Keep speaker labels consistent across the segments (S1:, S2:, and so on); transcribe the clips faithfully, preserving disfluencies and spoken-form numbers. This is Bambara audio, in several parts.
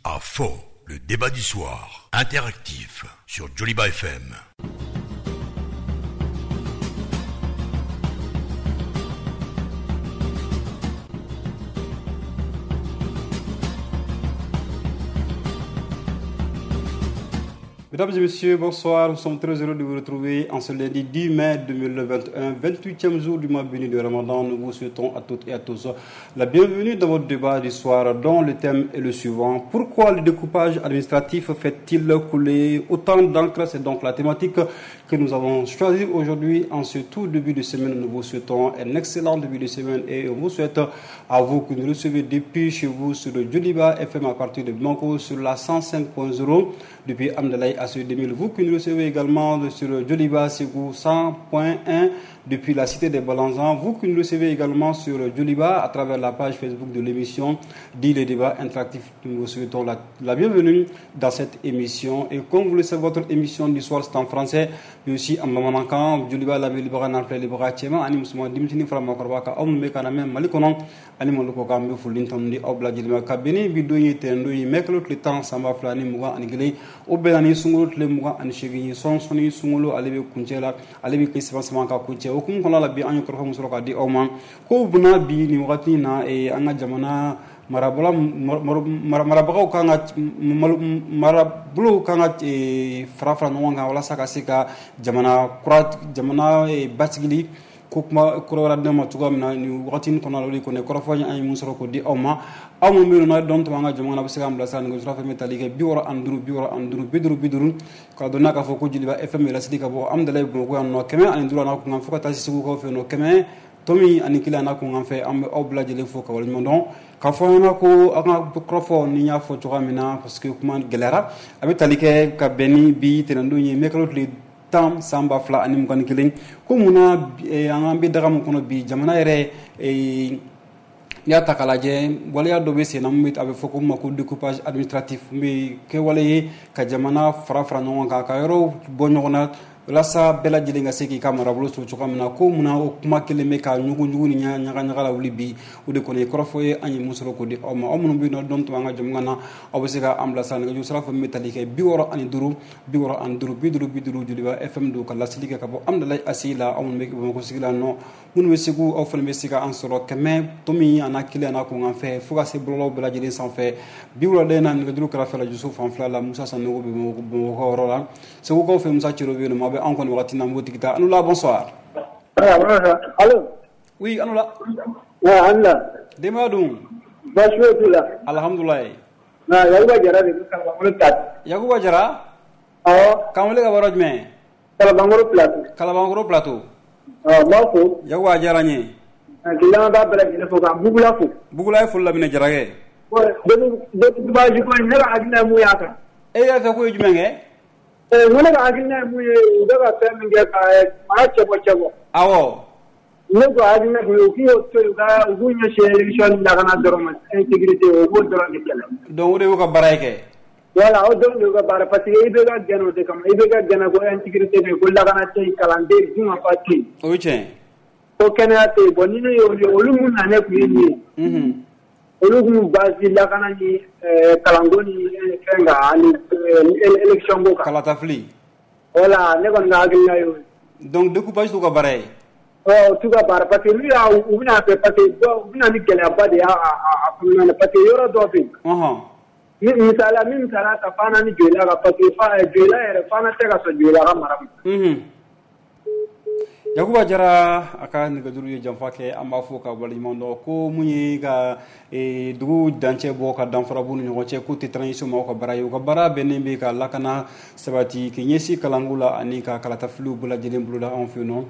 S1: À fond, le débat du soir, interactif sur Djoliba F M.
S2: Mesdames et messieurs, bonsoir. Nous sommes très heureux de vous retrouver en ce lundi dix mai deux mille vingt et un, vingt-huitième jour du mois béni de Ramadan. Nous vous souhaitons à toutes et à tous la bienvenue dans votre débat du soir dont le thème est le suivant. Pourquoi le découpage administratif fait-il couler autant d'encre? C'est donc la thématique que nous avons choisie aujourd'hui en ce tout début de semaine. Nous vous souhaitons un excellent début de semaine et on vous souhaite à vous que nous recevez depuis chez vous sur le Djoliba F M à partir de Bamako sur la cent cinq point zéro depuis Hamdallaye à deux mille. Vous qui nous recevez également sur Djoliba Ségou cent point un depuis la cité des Balanzans. Vous qui nous recevez également sur Djoliba à travers la page Facebook de l'émission Dit le débat interactif. Nous vous souhaitons la, la bienvenue dans cette émission. Et comme vous le savez, votre émission du soir c'est en français, mais aussi en bamanankan. Djoliba la Libara Nanfle Libara Tchema, Ani Mousma Dimtini Fra Makorba, Aw Mbe Kana Mali Konon, Ani Moloko Ka Mbe Fulin Tondi Aw Bla Djilima Kabini Bido Ye Tendo Ye Meklo Tile Tan Samba Fila Ni Mugan Ani Kelen, O Bɛnna Ni Sunkalo Tile Mugan Ani Seegin Ye, Sɔn Sɔnni Sunkalo ale bɛ kuncɛ la, ale bɛ kɛ saba saba ka kuncɛ. O hukumu kɔnɔna la bi an ye kɔrɔfɔ min sɔrɔ k'a di aw ma ko buna bi nin wagati in na an ka jamana marabola marabagaw kan ka marabolow kan ka fara fara ɲɔgɔn kan walasa ka se ka jamana kura jamana basigili ko kuma kura wɛrɛ d'an ma cogoya min na nin wagati in kɔnɔna la. O de kɔni kɔrɔfɔ an ye mun sɔrɔ k'o di aw ma. Aw minnu bɛ yen nɔ dɔn tun b'an ka jamana na, a bɛ se k'an bilasira nɛgɛjuru sira fɛn bɛ tali kɛ bi wɔɔrɔ ani duuru bi wɔɔrɔ ani duuru bi duuru bi duuru k'a dɔn n'a k'a fɔ ko Djoliba F M lasigi ka bɔ Hamdallaye Bamakɔ yan nɔ kɛmɛ ani duuru a n'a kunkan fo ka taa se Segukaw fɛ yen nɔ kɛmɛ tomi ani kelen a n'a kunkan fɛ. An bɛ aw bɛɛ lajɛlen fo ka waleɲuman dɔn k'a fɔ an ɲɛna ko aw ka kɔrɔfɔ ni n y'a fɔ cogoya min na parce que kuma gɛlɛyara a bɛ tali kɛ ka bɛn ni bi tɛnɛndon ye mɛkalo tile tan san ba fila ani mugan ni kelen. Ko munna an bɛ daga min kɔnɔ bi jamana yɛrɛ n'i y'a ta k'a lajɛ waleya dɔ bɛ sen na mun bɛ a bɛ fɔ ko ma ko découpage administratif mun bɛ kɛwale ye ka jamana fara fara ɲɔgɔn kan ka yɔrɔw bɔ ɲɔgɔn na walasa bɛɛ lajɛlen ka se k'i ka marabolo sɔrɔ cogoya min na. Ko munna o kuma kelen bɛ ka ɲugu-ɲugu ni ɲaga-ɲaga la wuli bi, o de kɔni ye kɔrɔfɔ ye an ye mun sɔrɔ k'o di aw ma. Aw minnu bɛ yen nɔ dɔn tun b'an ka jamu na, aw bɛ se ka an bilasira nɛgɛjuru sira fɛn min bɛ tali kɛ bi wɔɔrɔ ani duuru bi wɔɔrɔ ani duuru bi duuru bi duuru Djoliba F M don ka laseli kɛ ka bɔ Hamdallaye A C I la. Aw minnu bɛ Bamakɔ sigi la nɔ, minnu bɛ Segu aw fana bɛ se ka an sɔrɔ kɛmɛ tomi a n'a kelen a n'a kunkan fɛ fo ka se bɔlɔlɔw bɛɛ lajɛlen sanfɛ. Bi wulada in na nɛgɛjuru kɛrɛfɛ la Jusu fan fila la Musa Sanogo bɛ Bamakɔ yɔrɔ la, Segukaw fɛ Musa Cero bɛ yen nɔ. A bɛ an kɔni wagati na n b'o tigi ta. An la bonsoir.
S3: Allo.
S2: Oui, an la.
S3: Ouais, an la.
S2: Denbaya dun?
S3: Baasi foyi t'u la.
S2: Alhamdulilayi.
S3: Na Yakuba Jara de bɛ Kalabankɔrɔ Plateau.
S2: Yakuba Jara?
S3: Awɔ.
S2: K'an wele ka bɔ yɔrɔ jumɛn?
S3: Kalabankɔrɔ Plateau.
S2: Kalabankɔrɔ Plateau.
S3: Awɔ, n b'aw fo.
S2: Yakuba a diyara n ye.
S3: K'i lamɛnbaa bɛɛ lajɛlen fo ka Bugula fo.
S2: Bugula ye foli laminɛ Jarakɛ.
S3: Découpage ko in ne ka hakilina ye mun y'a kan?
S2: E y'a fɛ k'o ye jumɛn kɛ?
S3: N ko ne ka hakilina ye mun ye, u bɛ ka fɛn min kɛ ka mara cɛbɔ cɛbɔ.
S2: Awɔ.
S3: Ne ko hakilina ye mun ye, u k'u to yen u ka u k'u ɲɛsin élection lakana dɔrɔn ma, insécurité u b'o dɔrɔn de kɛlɛ.
S2: Donc o de y'u ka baara ye kɛ.
S3: Voilà, o dɔrɔn de y'u ka baara parce que I B K gɛnna o de kama. I B K gɛnna ko insécurité bɛ yen, ko lakana tɛ yen, kalan tɛ yen, dunkafa tɛ yen.
S2: O ye tiɲɛ.
S3: Ko kɛnɛya tɛ yen. Bon ni ne y'olu ye, olu mun na ne tun ye nin ye.
S2: Unhun.
S3: Olu kun basi lakana ni kalanko ni fɛn kan ani élection ko kan.
S2: Kalatafili.
S3: Voilà, ne kɔni ka hakilina y'o ye.
S2: Donc découpage t'u ka baara ye.
S3: Ɔ u t'u ka baara parce que n'u y'a u bɛna fɛ parce que dɔw u bɛna ni gɛlɛyaba de y'a a kɔnɔna na parce que yɔrɔ dɔw bɛ yen.
S2: Ɔhɔn.
S3: Ni misaliya min misaliya ta Fana ni Joyila kan parce que fa Joyila yɛrɛ Fana tɛ ka sɔn Joyila ka mara ma.
S2: Unhun. Yakuba Jara a ka nɛgɛjuru ye janfa kɛ, an b'a fɔ ka waleɲuman dɔn ko mun ye ka dugu dancɛ bɔ ka danfara b'u ni ɲɔgɔn cɛ k'u tɛ transition maaw ka baara ye. U ka baara bɛnnen bɛ ka lakana sabati k'i ɲɛsin kalanko la ani ka kalatafiliw bɛɛ lajɛlen boloda anw fɛ yen nɔ.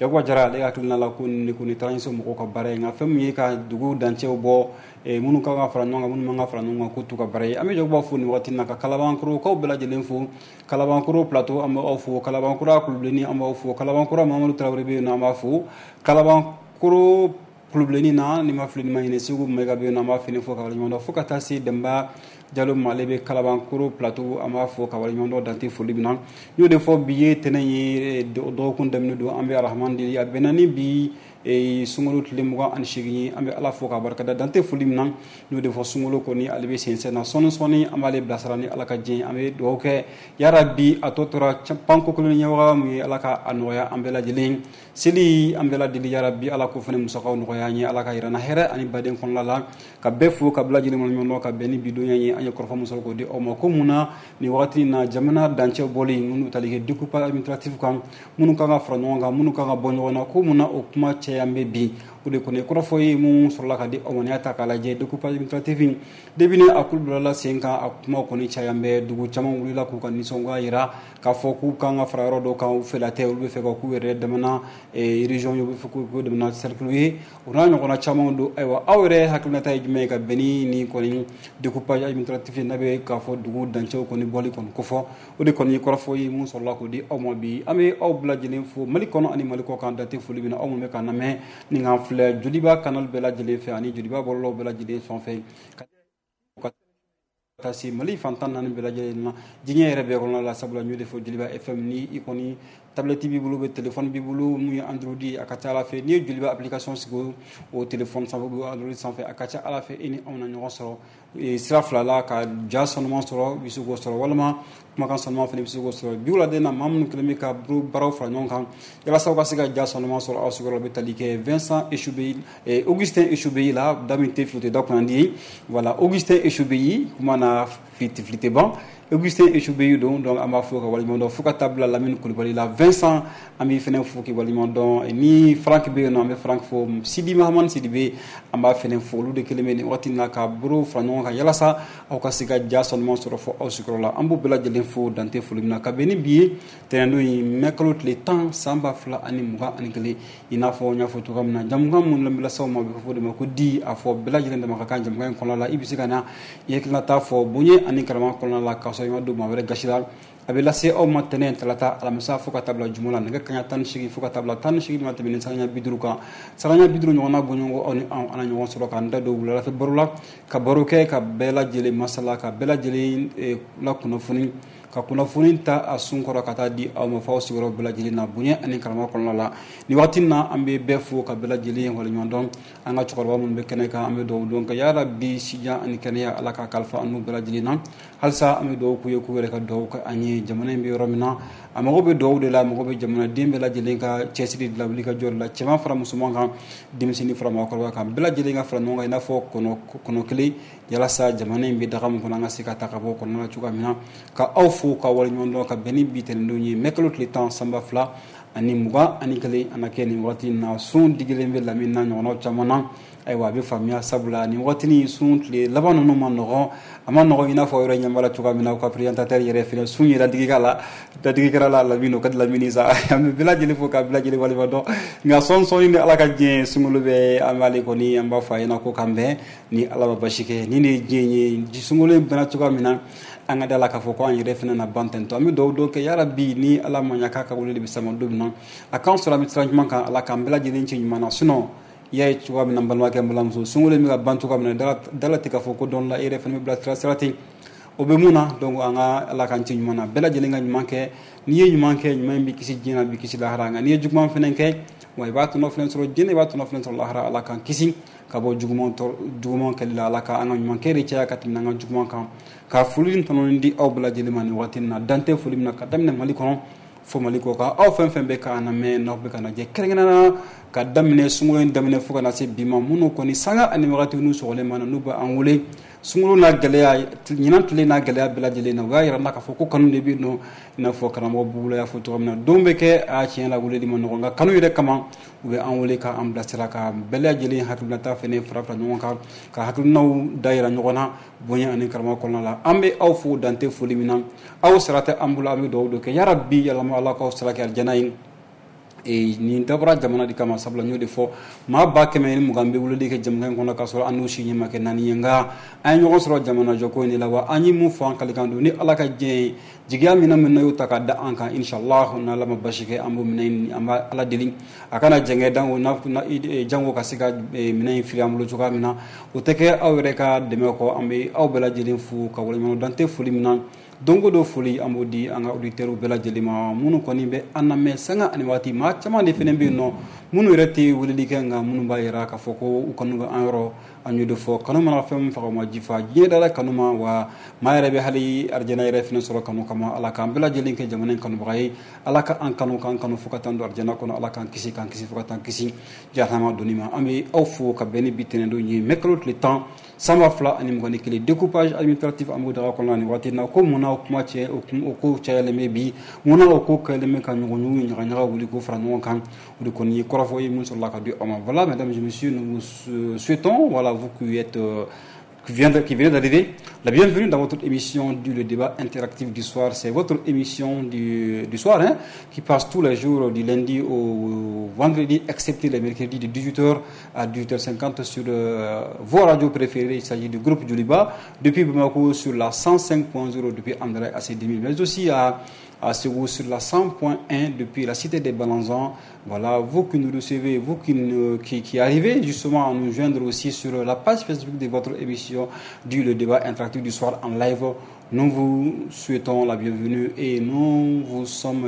S2: Yakuba Jara ale hakilina la ko nin de kɔni transition mɔgɔw ka baara ye, nka fɛn min ye ka dugu dancɛw bɔ minnu kan ka fara ɲɔgɔn kan minnu man ka fara ɲɔgɔn kan k'u t'u ka baara ye. An bɛ Yakuba fo nin wagati in na ka Kalabankɔrɔkaw bɛɛ lajɛlen fo, Kalabankɔrɔ Plateau an bɛ aw fo, Kalabankɔrɔ Kulubilenni an b'aw fo, Kalabankɔrɔ Mamadu Tarawele bɛ yen nɔ an b'a fo, Kalabankɔrɔ Kulubilenni na ni ma fili ni ma ɲinɛ Segu Mayiga bɛ yen nɔ an b'a fini fo ka waleɲuman dɔn fo ka taa se Denba Jalo ma ale bɛ Kalabankoro Plateau, an b'a fɔ ka waleɲuman dɔn dante foli min na. N y'o de fɔ, bi ye tɛnɛn ye, dɔgɔkun daminɛ don. An bɛ Arahaman deli, a bɛnna ni bi sunkalo tile mugan ani seegin ye. An bɛ Ala fo k'a barikada dante foli min na. N y'o de fɔ, sunkalo kɔni ale bɛ sensɛn na sɔɔni sɔɔni, an b'ale bilasira ni Ala ka diɲɛ. An bɛ dugawu kɛ, yarabi a tɔ tora panko kelen ɲɛwaga mun ye, Ala ka a nɔgɔya an bɛɛ lajɛlen. Seli an bɛɛ lajɛlen, yarabi Ala ko fana musakaw nɔgɔya an ye, Ala ka yira n na hɛrɛ ani baden kɔnɔna la. Ka bɛɛ fo ka bila lajɛlen ɲɔgɔn dɔn ka bɛn ni bidonya ye. An ye kɔrɔfɔ min sɔrɔ k'o di aw ma, ko mun na nin wagati in na jamana dancɛ bɔli minnu tali kɛ découpage administratif kan, minnu kan ka fara ɲɔgɔn kan, minnu kan ka bɔ ɲɔgɔn na, ko mun na o kuma caya bɛ bi? O de kɔni kɔrɔfɔ ye mun sɔrɔla ka di aw ma. N'i y'a ta k'a lajɛ, découpage administratif in, depuis ni a kulu bilala sen kan, a kuma kɔni caya bɛ. Dugu caman wulila k'u ka nisɔngoya yira k'a fɔ k'u kan ka fara yɔrɔ dɔw kan, u fɛla tɛ, olu bɛ fɛ ka k'u yɛrɛ damana région ye, u bɛ fɛ k'u damana cercle ye, o n'a ɲɔgɔnna caman don. Ayiwa, aw yɛrɛ hakilinata ye jumɛn ye ka bɛn ni nin kɔni découpage administratif n'a bɛ k'a fɔ dugu dancɛw kɔni bɔli kɔni kofɔ? O de kɔni ye kɔrɔfɔ ye mun sɔrɔla k'o di aw ma bi. An bɛ aw bɛɛ lajɛlen fo Mali kɔnɔ ani Mali kɔ kan, date foli min na, aw minnu bɛ k'an lamɛn ni k'an filɛ Joliba canal bɛɛ lajɛlen fɛ ani Joliba bɔlɔlɔw bɛɛ lajɛlen fan fɛ, ka taa se Mali fan tan naani bɛɛ lajɛlen na, diɲɛ yɛrɛ bɛɛ kɔnɔna la. Sabula n y'o de fɔ, Joliba F M, ni i kɔni tablette b'i bolo, bɛ téléphone b'i bolo mun ye Android, a ka ca Ala fɛ n'i ye Joliba application sigi o téléphone sanfɛ ou Android sanfɛ, a ka ca Ala fɛ e ni anw na ɲɔgɔn sɔrɔ sira fila la. Ka ja sanuman sɔrɔ, i bɛ se k'o sɔrɔ, walima kumakan sanuman fana i bɛ se k'o sɔrɔ. Bi wuladen na, maa minnu kɛlen bɛ ka baaraw fara ɲɔgɔn kan walasa aw ka se ka ja sanuman sɔrɔ aw sigiyɔrɔ, bɛ tali kɛ Vincent Eshubeyi, Augustin Eshubeyi la. Da min tɛ fili, o tɛ da kunnandi ye. Voilà, Augustin Eshubeyi, kuma na fili tɛ fili tɛ ban, Augustin Eshubeyi don. Donc an b'a fɔ ka waleɲuman dɔn fo ka taa bila Lamini Kulibali la. Vincent, an b'i fɛnɛ fo k'i waleɲuman dɔn. Ni Frank bɛ yen nɔ, an bɛ Frank fo. Sidi Mahamani Sidibe, an b'a fɛnɛ fo. Olu de kelen bɛ nin waati in na ka baro fara ɲɔgɔn kan yalasa aw ka se ka ja sanuman sɔrɔ fo aw sigiyɔrɔ la. An b'u bɛɛ lajɛlen fo dante foli min na ka bɛn ni bi ye tɛnɛndon in, mɛ kalo tile tan, san ba fila ani mugan ani kelen. I n'a fɔ n y'a fɔ cogoya min na, jamukan mun bɛ lase aw ma, a bɛ fɔ o de ma ko di a fɔ bɛɛ lajɛlen dama ka kan. Jamukan in kɔnɔna la, i bɛ se ka na i hakilinata fɔ bonya ani karama kɔnɔna la, k'a sɔrɔ i ma don maa wɛrɛ gasi la. A bɛ lase aw ma tɛnɛn, talata, alamisa, fo ka taa bila juma la, nɛgɛ kaɲa tan ni seegin fo ka taa bila tan ni seegin ma tɛmɛ ni sanga bi duuru kan, sanga bi duuru ɲɔgɔnna bɔɲɔgɔn. Aw ni anw an na ɲɔgɔn sɔrɔ k'an da don wuladafɛ baro la, ka baro kɛ, ka bɛɛ lajɛlen masala, ka bɛɛ lajɛlen la kunnafoni, ka kunnafoni ta a sun kɔrɔ ka taa di aw ma fɔ aw sigiyɔrɔ bɛɛ lajɛlen na, bonya ani karama kɔnɔna la. Nin waati na, an bɛ bɛɛ fo ka bɛɛ lajɛlen waleɲuman dɔn. An ka cɛkɔrɔba minnu bɛ kɛnɛ kan, an bɛ dugawu dɔn ka yarabi sijan ani kɛnɛya, Ala ka kalifa an n'u bɛɛ lajɛlen na. Halisa an bɛ dugawu k'u ye, k'u yɛrɛ ka dugawu kɛ an ye. Jamana in bɛ yɔrɔ min na, a mago bɛ dugawu de la, a mago bɛ jamanaden bɛɛ lajɛlen ka cɛsiri de la, wuli ka jɔ de la, cɛman fara musoman kan, denmisɛnnin fara maakɔrɔba kan, bɛɛ lajɛlen ka fara ɲɔgɔn kan i n'a fɔ kɔnɔ kɔnɔ kelen, yalasa jamana in bɛ daga min kɔnɔ, an ka se ka ta ka bɔ kɔnɔna na cogoya min na. Ka aw fo ka waleɲuman dɔn ka bɛn ni bi tɛnɛndon ye, mɛ kalo tile tan, san ba fila ani mugan ani kelen. An na kɛ nin waati in na, sun digilen bɛ lamini na ɲɔgɔnnaw caman na. Ayiwa, a bɛ faamuya, sabula nin waatinin sun tile laban ninnu ma nɔgɔn, a ma nɔgɔn i n'a fɔ yɔrɔ ɲɛ b'a la cogoya min na. U ka présentateur yɛrɛ fɛnɛ sun yɛrɛ digi k'a la, dadigi kɛra la Lamini, o ka di Lamini sa. An bɛ bɛɛ lajɛlen fo ka bɛɛ lajɛlen waleɲuman dɔn. Nka sɔɔni sɔɔni ni Ala ka diɲɛ, sunkalo bɛ, an b'ale kɔni, an b'a fɔ a ɲɛna ko k'an bɛn ni Ala ma basi kɛ. Nin de ye diɲɛ ye, sunkalo in bɛnna cogoya min na, an ka da la k'a fɔ ko an yɛrɛ fɛnɛ na ban tentɔ. An bɛ dugawu dɔw kɛ, yarabi ni Ala ma ɲa k'a ka wele de bɛ sama don min na, a k'an sɔrɔ an bɛ sira ɲuman kan, Ala k'an bɛɛ lajɛlen ci ɲuman na. Sinon i y'a ye cogoya min na, n balimakɛ, n balimamuso, sunkalo in bɛ ka ban cogoya min na, dala tɛ k'a fɔ ko dɔn la e yɛrɛ fɛnɛ bɛ bila sira sira ten, o bɛ mun na? Donc an ka Ala k'an ci ɲuman na, bɛɛ lajɛlen ka ɲuman kɛ. N'i ye ɲuman kɛ, ɲuman in bɛ kisi diɲɛ na, bɛ kisi lahara. Nka n'i ye juguman fɛnɛ kɛ, wa i b'a tɔnɔ fɛnɛ sɔrɔ diɲɛ, i b'a tɔnɔ fɛnɛ sɔrɔ lahara. Ala k'an kisi ka bɔ juguman juguman kɛli la. Ala ka an ka ɲuman kɛ de caya ka tɛmɛ an ka juguman kan. Ka foli ni tɔnɔni di aw bɛɛ lajɛlen ma nin waati in na, dan tɛ foli min na, ka daminɛ Mali kɔnɔ fo Mali kɔ kan. Aw fɛn fɛn bɛ k'an lamɛn, n'aw bɛ ka lajɛ, kɛrɛnkɛrɛnnenya ka daminɛ sunkalo in daminɛ fo ka na se bi ma, minnu kɔni sanga ani wagati n'u sɔgɔlen ma na, n'u bɛ an wele sunkalo n'a gɛlɛya, ɲinan tile n'a gɛlɛya bɛɛ lajɛlen na, u y'a yira n na k'a fɔ ko kanu de bɛ yen nɔ. I n'a fɔ karamɔgɔ Bubula y'a fɔ cogo min na, don bɛ kɛ a tiɲɛ la weleli ma nɔgɔn, nka kanu yɛrɛ kama u bɛ an wele k'an bilasira, ka bɛɛ lajɛlen hakilinata fɛnɛ fara fara ɲɔgɔn kan, ka hakilinaw da yira ɲɔgɔn na bonya ani karama kɔnɔna la. An bɛ aw fo dante foli min na. Aw sara tɛ an bolo, an bɛ dugawu dɔ kɛ, yarabi yalama Ala k'aw sara kɛ alijana ye. Et nin dabɔra jamana de kama, sabula n y'o de fɔ, maa ba kɛmɛ ni mugan bɛ weleli kɛ jamana in kɔnɔ k'a sɔrɔ an n'u si ɲɛ ma kɛ naani ye. Nka an ye ɲɔgɔn sɔrɔ jamana jɔko in de la. Wa an ye mun fɔ an kalikan don ni Ala ka diɲɛ ye, jigiya min min na y'o ta k'a da an kan, inshallah, n'Ala ma basi kɛ, an b'o minɛ. An b'a Ala deli a kana jɛngɛ dango jango ka se ka minɛn in fili an bolo cogoya min na. O tɛ kɛ aw yɛrɛ ka dɛmɛ kɔ. An bɛ aw bɛɛ lajɛlen fo ka waleɲuman dan tɛ foli min na. Don o don, foli an b'o di an ka auditeurs bɛɛ lajɛlen ma, minnu kɔni bɛ an lamɛn sanga ani waati. Maa caman de fana bɛ yen nɔ, minnu yɛrɛ tɛ weleli kɛ, nka minnu b'a yira k'a fɔ ko u kanu bɛ an yɔrɔ. An y'o de fɔ, kanu mana fɛn min faga, o ma ji fa. Diɲɛ dara kanu ma, wa maa yɛrɛ bɛ hali arijana yɛrɛ fana sɔrɔ kanu kama. Ala k'an bɛɛ lajɛlen kɛ jamana in kanubaga ye. Ala ka an kanu, k'an kanu fo ka taa don arijana kɔnɔ. Ala k'an kisi, k'an kisi fo ka taa kisi jahanama donni ma. An bɛ aw fo ka bɛn ni bi tɛnɛndon ye, mɛ kalo tile tan, san ba fila ani mugan ni kelen. Découpage administratif, an b'o daga kɔnɔ nin waati in na. Ko munna o kuma cɛ, o ko cayalen bɛ bi? Munna o ko kɛlen bɛ ka ɲɔgɔn ɲugu ɲaga ɲaga wuli k'o fara ɲɔgɔn kan? O de kɔni ye kɔrɔfɔ ye mun sɔrɔla ka di aw ma. Voilà, mesdames et messieurs, nous vous souhaitons, voilà, vous qui êtes euh, qui vient qui vient d'arriver, la bienvenue dans votre émission du le débat interactif du soir. C'est votre émission du, du soir, hein, qui passe tous les jours du lundi au vendredi, excepté les mercredis, de dix-huit heures à dix-huit heures cinquante sur euh, vos radios préférées. Il s'agit du groupe Djoliba, depuis Bamako sur la cent cinq point zéro, depuis André A C deux mille, mais aussi à à Ségou sur la cent point un depuis la cité des Balanzans. Voilà, vous qui nous recevez, vous qui, nous, qui, qui arrivez justement à nous joindre aussi sur la page Facebook de votre émission du le débat interactif du soir en live, nous vous souhaitons la bienvenue et nous vous sommes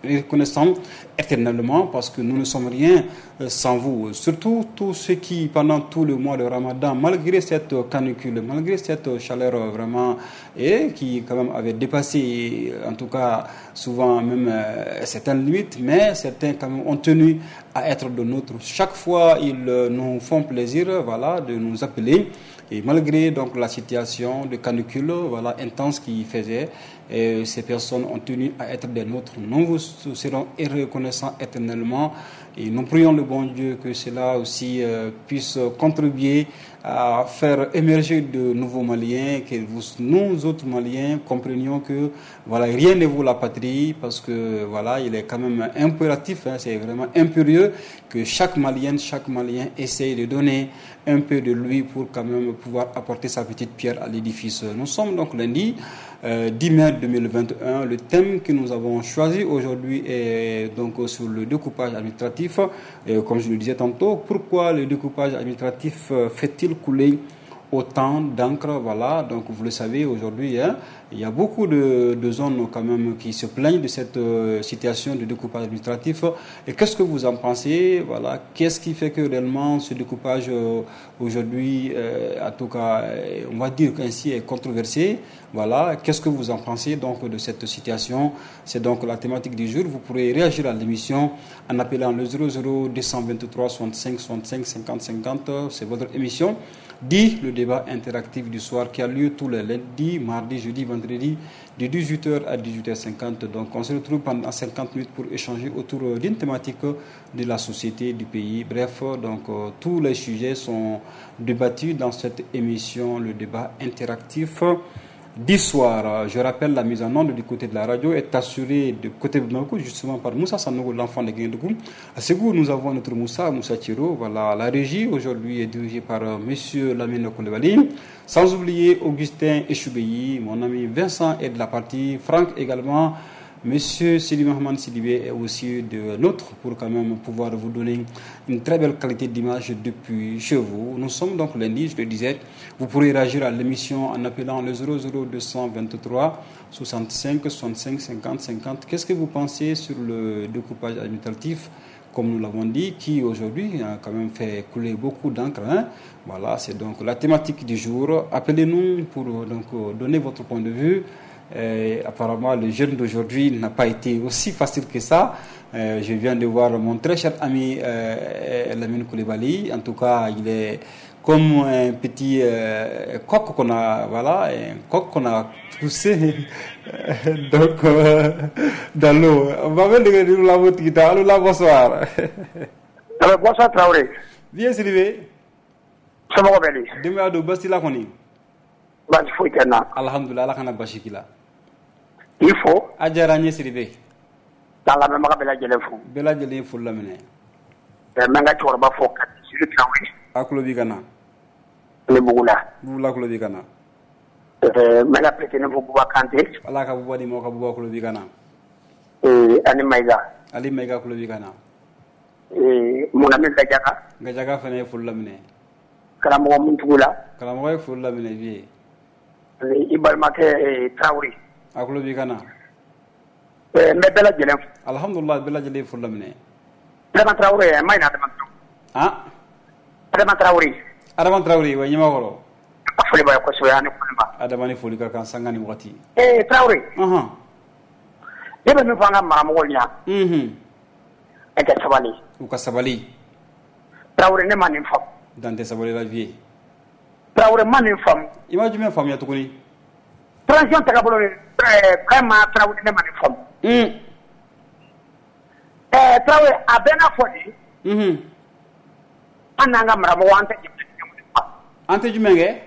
S2: reconnaissants éternellement parce que nous ne sommes rien sans vous. Surtout tous ceux qui, pendant tout le mois de Ramadan, malgré cette canicule, malgré cette chaleur vraiment, et qui quand même avait dépassé, en tout cas souvent même certaines limites, mais certains quand même ont tenu à être de nôtres. Chaque fois, ils nous font plaisir, voilà, de nous appeler. Et malgré donc la situation de canicule, voilà, intense qui faisait, et ces personnes ont tenu à être des nôtres. Nous vous serons reconnaissants éternellement et nous prions le bon Dieu que cela aussi euh, puisse contribuer à faire émerger de nouveaux Maliens, que vous, nous autres Maliens comprenions que voilà, rien ne vaut la patrie, parce que voilà, il est quand même impératif, hein, c'est vraiment impérieux que chaque Malienne, chaque Malien essaye de donner un peu de lui pour quand même pouvoir apporter sa petite pierre à l'édifice. Nous sommes donc lundi euh, dix mai deux mille vingt et un. Le thème que nous avons choisi aujourd'hui est donc sur le découpage administratif. Et comme je le disais tantôt, pourquoi le découpage administratif fait-il couler autant d'encre? Voilà, donc vous le savez aujourd'hui, hein, il y a beaucoup de, de zones quand même qui se plaignent de cette euh, situation de découpage administratif. Et qu'est-ce que vous en pensez? Voilà, qu'est-ce qui fait que réellement ce découpage euh, aujourd'hui, euh, en tout cas, on va dire qu'ainsi est controversé? Voilà, qu'est-ce que vous en pensez donc de cette situation? C'est donc la thématique du jour. Vous pourrez réagir à l'émission en appelant le zéro zéro deux cent vingt-trois soixante-cinq soixante-cinq cinquante cinquante. C'est votre émission dit le débat interactif du soir qui a lieu tous les lundis, mardi, jeudi, vendredi de dix-huit heures à dix-huit heures cinquante. Donc on se retrouve pendant cinquante minutes pour échanger autour d'une thématique de la société, du pays. Bref, donc tous les sujets sont débattus dans cette émission, le débat interactif du soir. Je rappelle, la mise en onde du côté de la radio est assurée de côté de Bamako, justement par Moussa Sanogo, l'enfant de Guindougou. À Ségou, nous avons notre Moussa, Moussa Thiro. Voilà, la régie aujourd'hui est dirigée par Monsieur Lamine Koulibaly. Sans oublier Augustin Echoubeyi, mon ami Vincent est de la partie, Franck également. Monsieur Sidi Mohamed Sidibé est aussi de nôtre pour quand même pouvoir vous donner une très belle qualité d'image depuis chez vous. Nous sommes donc lundi, je le disais. Vous pourrez réagir à l'émission en appelant le zéro zéro deux cent vingt-trois soixante-cinq soixante-cinq cinquante cinquante. Qu'est-ce que vous pensez sur le découpage administratif, comme nous l'avons dit, qui aujourd'hui a quand même fait couler beaucoup d'encre, hein? Voilà, c'est donc la thématique du jour. Appelez-nous pour donc donner votre point de vue. Et apparemment, le jeûne d'aujourd'hui n'a pas été aussi facile que ça. Euh, je viens de voir mon très cher ami euh, Lamine Koulibaly. En tout cas, il est comme un petit euh, coq qu'on a, voilà, un coq qu'on a poussé donc euh, dans l'eau. On va mettre la bonsoir.
S4: Alors, bonsoir Traoré.
S2: Bien Sylvie.
S4: Somɔgɔw bɛ di?
S2: Denbaya don, basi la kɔni?
S4: Baasi foyi tɛ n na.
S2: Alhamdulilah, Ala kana basi k'i la.
S4: K'i fo.
S2: A diyara n ye Sidibe.
S4: K'an lamɛnbaga bɛɛ lajɛlen fo.
S2: Bɛɛ lajɛlen ye foli laminɛ.
S4: N bɛ n ka cɛkɔrɔba fo Kati Tarawele.
S2: A tulo b'i ka na.
S4: Ne Bugula.
S2: Bugula tulo b'i ka na.
S4: N bɛ n ka petit fo Buba Kante.
S2: Ala ka Buba di ma, ka Buba tulo b'i ka na.
S4: Ani Mayiga.
S2: Ali Mayiga tulo b'i ka na.
S4: Munami Gajaga.
S2: Gajaga fana ye foli laminɛ.
S4: Karamɔgɔ Muntugula.
S2: Karamɔgɔ ye foli laminɛ bi.
S4: Ani i balimakɛ Tarawele.
S2: A tulo b'i ka na.
S4: N bɛ bɛɛ lajɛlen fo.
S2: Alhamdulilah, bɛɛ lajɛlen ye foli laminɛ.
S4: Adama Tarawele, n ma ɲinɛ Adama Tarawele.
S2: Han?
S4: Adama Tarawele.
S2: Adama Tarawele, wa ɲɛmakɔrɔ.
S4: A foli b'a ye kosɛbɛ, ani Koliba.
S2: Adama ni foli ka kan sanga ni waati.
S4: Ee Tarawele.
S2: Ɔnhɔn.
S4: Ne bɛ min fɔ an ka maramɔgɔw ɲɛna.
S2: Unhun.
S4: E ka sabali.
S2: U ka sabali.
S4: Tarawele, ne ma nin faamu.
S2: Dan tɛ sabali la vie.
S4: Tarawele, ma nin faamu.
S2: I ma jumɛn faamuya tuguni?
S4: Transition tagabolo vraiment, Tarawele, ne ma nin faamu.
S2: Un.
S4: Ɛɛ Tarawele, a bɛɛ n'a fɔ de.
S2: Unhun.
S4: An n'an ka maramɔgɔw, an tɛ jamana kelen kɔnɔ.
S2: An tɛ jumɛn kɛ?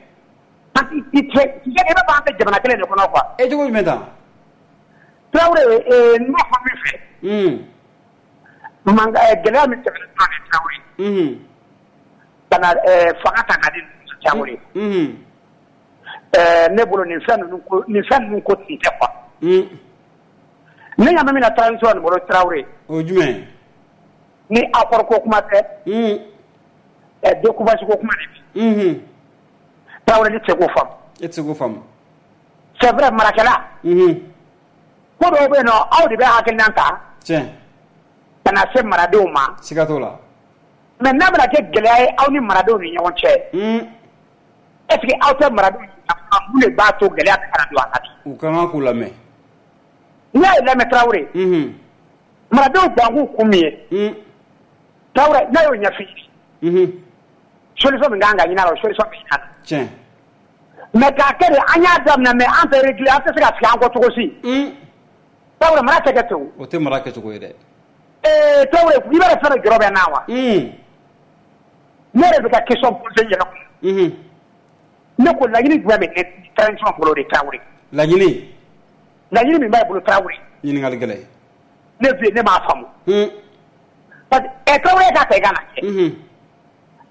S4: An tɛ i tɛ i b'a fɔ an tɛ jamana kelen de kɔnɔ quoi.
S2: E cogo jumɛn tan?
S4: Tarawele, ee n b'a fɔ min fɛ.
S2: Un.
S4: Mankan gɛlɛya min tɛmɛna sisan Tarawele.
S2: Unhun.
S4: Ka na ɛɛ fanga ta k'a di Tarawele.
S2: Unhun.
S4: Ɛɛ ne bolo nin fɛn ninnu ko nin fɛn ninnu ko tun tɛ quoi.
S2: Un.
S4: Ne ɲa bɛ min na transition nin bolo Tarawele.
S2: O jumɛn?
S4: Ni accord ko kuma tɛ.
S2: Un.
S4: Ɛ découpage ko kuma de bi.
S2: Unhun.
S4: Tarawele, ne tɛ se k'o faamu.
S2: E tɛ se k'o faamu.
S4: C'est vrai, marakɛla.
S2: Unhun.
S4: Ko dɔw bɛ yen nɔ, aw de bɛ hakilina ta.
S2: Tiɲɛ.
S4: Ka na se maradenw ma.
S2: Siga t'o la.
S4: Mais n'a bɛna kɛ gɛlɛya ye aw ni maradenw ni ɲɔgɔn cɛ.
S2: Un.
S4: Est ce que aw tɛ maradenw mun de b'a to gɛlɛya bɛ ka na don a la bi?
S2: U ka kan k'u lamɛn.
S4: N'i y'a ye lamɛn Tarawele.
S2: Unhun.
S4: Maradenw bankun kun min ye.
S2: Un.
S4: Tarawele, n'a y'o ɲɛf'i ye.
S2: Unhun.
S4: Solution min kan ka ɲini a la, o solution bɛ ɲini a la.
S2: Tiɲɛ.
S4: Mais k'a kɛ de an y'a daminɛ, mais an tɛ réguler, an tɛ se ka sigi an kɔ cogo si.
S2: Un.
S4: Tarawele, mara tɛ kɛ ten o.
S2: O tɛ mara kɛcogo ye dɛ.
S4: Ee Tarawele, i b'a dɔn fɛn dɔ jɔrɔ bɛ n na wa?
S2: Un.
S4: Ne yɛrɛ bɛ ka question poser n yɛrɛ kun.
S2: Unhun.
S4: Ne ko laɲini jumɛn bɛ ne transition bolo de Tarawele?
S2: Laɲini?
S4: Laɲini min b'a bolo Tarawele.
S2: Ɲininkali gɛlɛn.
S4: Ne bi ne m'a faamu.
S2: Un.
S4: Parce que ɛ Tarawele k'a ta i ka na kɛ.
S2: Unhun.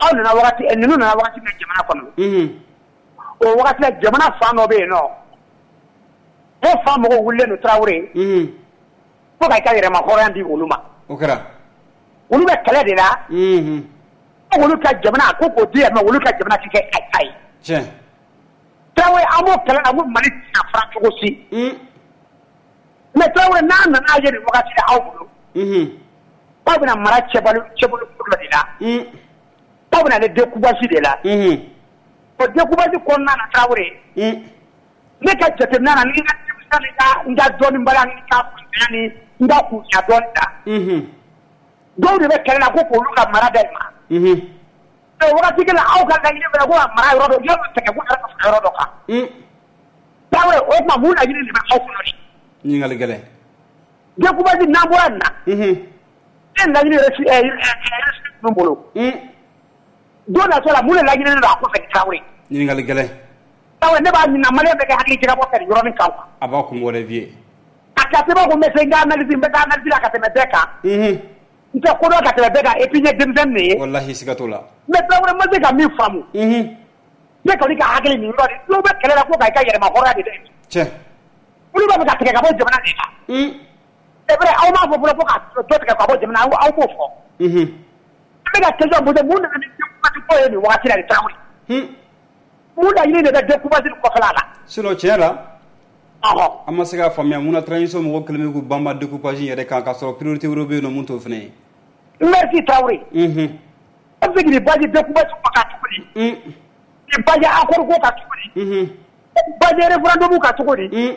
S4: Aw nana wagati ninnu nana wagati min jamana kɔnɔ.
S2: Unhun.
S4: O wagati la, jamana fan dɔ bɛ yen nɔ. O fan mɔgɔw wulilen don Tarawele.
S2: Unhun.
S4: Fo ka i ka yɛrɛma hɔrɔnya di olu ma.
S2: O kɛra.
S4: Olu bɛ kɛlɛ de la.
S2: Unhun.
S4: Ko olu ka jamana ko k'o di yan nɔ, olu ka jamana ti kɛ a ta ye.
S2: Tiɲɛ.
S4: Tarawele, an b'o kɛlɛ la, ko Mali tɛ se ka fara cogo si.
S2: Un.
S4: Mais Tarawele, n'a nana ye nin wagati la aw bolo.
S2: Unhun.
S4: Aw bɛna mara cɛbali cɛbolo dɔ de la.
S2: Un.
S4: Aw bɛna ale découpage de la.
S2: Unhun.
S4: O découpage kɔnɔna na Tarawele.
S2: Un.
S4: Ne ka jateminɛ na, ni n ka denmisɛn ni ka n ka dɔnnibaliya ni n ka kuntanya ni n ka kunya dɔɔni ta.
S2: Unhun.
S4: Dɔw de bɛ kɛlɛ la ko k'olu ka mara da ma.
S2: Unhun.
S4: O wagati kelen, aw ka laɲini bɛ ko ka mara yɔrɔ dɔ yɔrɔ dɔ tigɛ ko yɛrɛ ka fara yɔrɔ dɔ kan.
S2: Un.
S4: Tarawele, o tuma mun laɲini de bɛ aw kɔnɔ de?
S2: Ɲininkali gɛlɛn.
S4: Découpage n'an bɔra nin na.
S2: Unhun.
S4: E laɲini yɛrɛ si ɛ ninnu bolo.
S2: Un.
S4: Don natɔ la, mun de laɲininen don a kɔfɛ Tarawele?
S2: Ɲininkali gɛlɛn.
S4: Tarawele, ne b'a ɲininka maliyɛn bɛɛ kɛ hakili jagabɔ kɛ nin yɔrɔnin kan quoi.
S2: A b'a kun bɔ dɛ vieux.
S4: A ka se b'a ko n bɛ se n ka analyse, n bɛ taa analyse la ka tɛmɛ bɛɛ kan.
S2: Unhun.
S4: N tɛ kodɔn ka tɛmɛ bɛɛ kan, et puis n ye denmisɛnnin de ye.
S2: Walahi, siga t'o la.
S4: Mais Tarawele, ma se ka min faamu.
S2: Unhun.
S4: Ne kɔni ka hakili nin yɔrɔ de, dɔw bɛ kɛlɛ la ko ka i ka yɛrɛma hɔrɔnya de dɛ.
S2: Tiɲɛ.
S4: Olu b'a fɛ ka tigɛ ka bɔ jamana de la.
S2: Un.
S4: C'est vrai, aw m'a fɔ fɔlɔ ko ka dɔ tigɛ ka bɔ jamana, aw aw b'o fɔ.
S2: Unhun.
S4: An bɛ ka question poser, mun nana ni découpage ko ye nin wagati la de Tarawele?
S2: Un.
S4: Mun laɲini de bɛ découpage nin kɔfɛla la?
S2: Sinon tiɲɛ la.
S4: Ɔhɔn.
S2: An ma se k'a faamuya mun na transition mɔgɔw kɛlen bɛ k'u banba découpage in yɛrɛ kan, k'a sɔrɔ priorité wɛrɛw bɛ yen nɔ mun t'o fana ye.
S4: Merci Tarawele.
S2: Unhun.
S4: E bɛ se k'i basé découpage ko kan cogo di?
S2: Un.
S4: K'i basé accord ko kan cogo di?
S2: Unhun.
S4: Basé référendum kan cogo di?
S2: Un.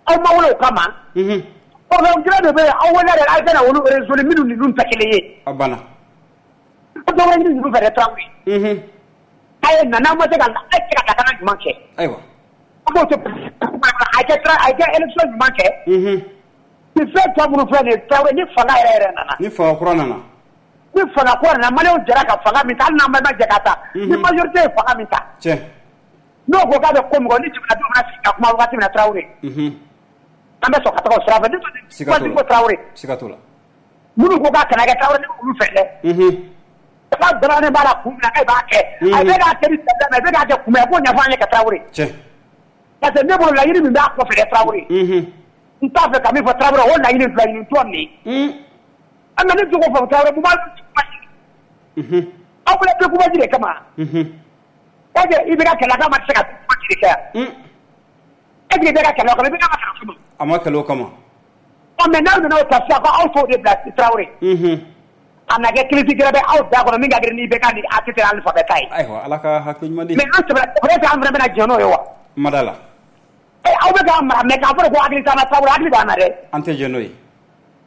S4: Aw ma wele o kama.
S2: Unhun.
S4: Problème gɛlɛn de bɛ yen, aw wele de a ka na olu résoudre minnu ni ninnu tɛ kelen ye.
S2: A banna.
S4: Aw dɔ wɛrɛ ɲini ninnu fɛ dɛ Tarawele.
S2: Unhun.
S4: A ye na n'aw ma se ka a ye se ka lakana ɲuman kɛ.
S2: Ayiwa.
S4: An b'o to a kɛ a kɛ élection ɲuman kɛ.
S2: Unhun.
S4: Ni fɛn tɔ minnu filɛ nin ye Tarawele, ni fanga yɛrɛ yɛrɛ nana.
S2: Ni fanga kura nana.
S4: Ni fanga kura nana, maliyɛnw jɛra ka fanga min ta, hali n'an bɛɛ ma jɛ ka ta. Ni majorité ye fanga min ta.
S2: Tiɲɛ.
S4: N'o ko k'a bɛ ko min kɔ, ni jamanadenw bɛna sigi ka kuma wagati min na Tarawele.
S2: Unhun.
S4: An bɛ sɔn ka taga o sira fɛ.
S2: Siga t'o la.
S4: Ko Traoré.
S2: Siga t'o la.
S4: Minnu ko k'a kana kɛ Traoré, ne b'olu fɛ dɛ. K'a dalannen b'a la kun min na k'e b'a kɛ. A bɛ k'a kɛ ni sɛbɛn a bɛ k'a kɛ kun min na, k'o ɲɛfɔ an ye ka Traoré.
S2: Tiɲɛ.
S4: Parce que ne bolo laɲini min b'a kɔfɛ dɛ Traoré. N t'a fɛ ka min fɔ Traoré, o laɲini filɛ nin tɔ nin ye. An ka ne jogo fɔ Traoré, mun b'a aw bolo découpage de kama. Est-ce que i bɛ ka kɛlɛ k'a ma se ka découpage de kɛ yan? Est-ce que i bɛ ka kɛlɛ o kama, i bɛ ka kɛlɛ o kama?
S2: A ma kɛlɛ o kama.
S4: Ɔ mais n'aw nana o ta sisan ko aw t'o de bila Traoré. A na kɛ crise gɛrɛ bɛ aw da kɔnɔ min ka girin ni I B K ni A T T alphabet ta ye.
S2: Ayiwa, Ala ka hakili ɲuman di.
S4: Mais an sɛbɛla peut-être an fana bɛna jɛn n'o ye wa?
S2: Ma da la.
S4: Ɛ aw bɛ k'an mara mais k'a fɔ de ko hakili t'an na Traoré, hakili b'an na dɛ.
S2: An tɛ jɛn n'o ye.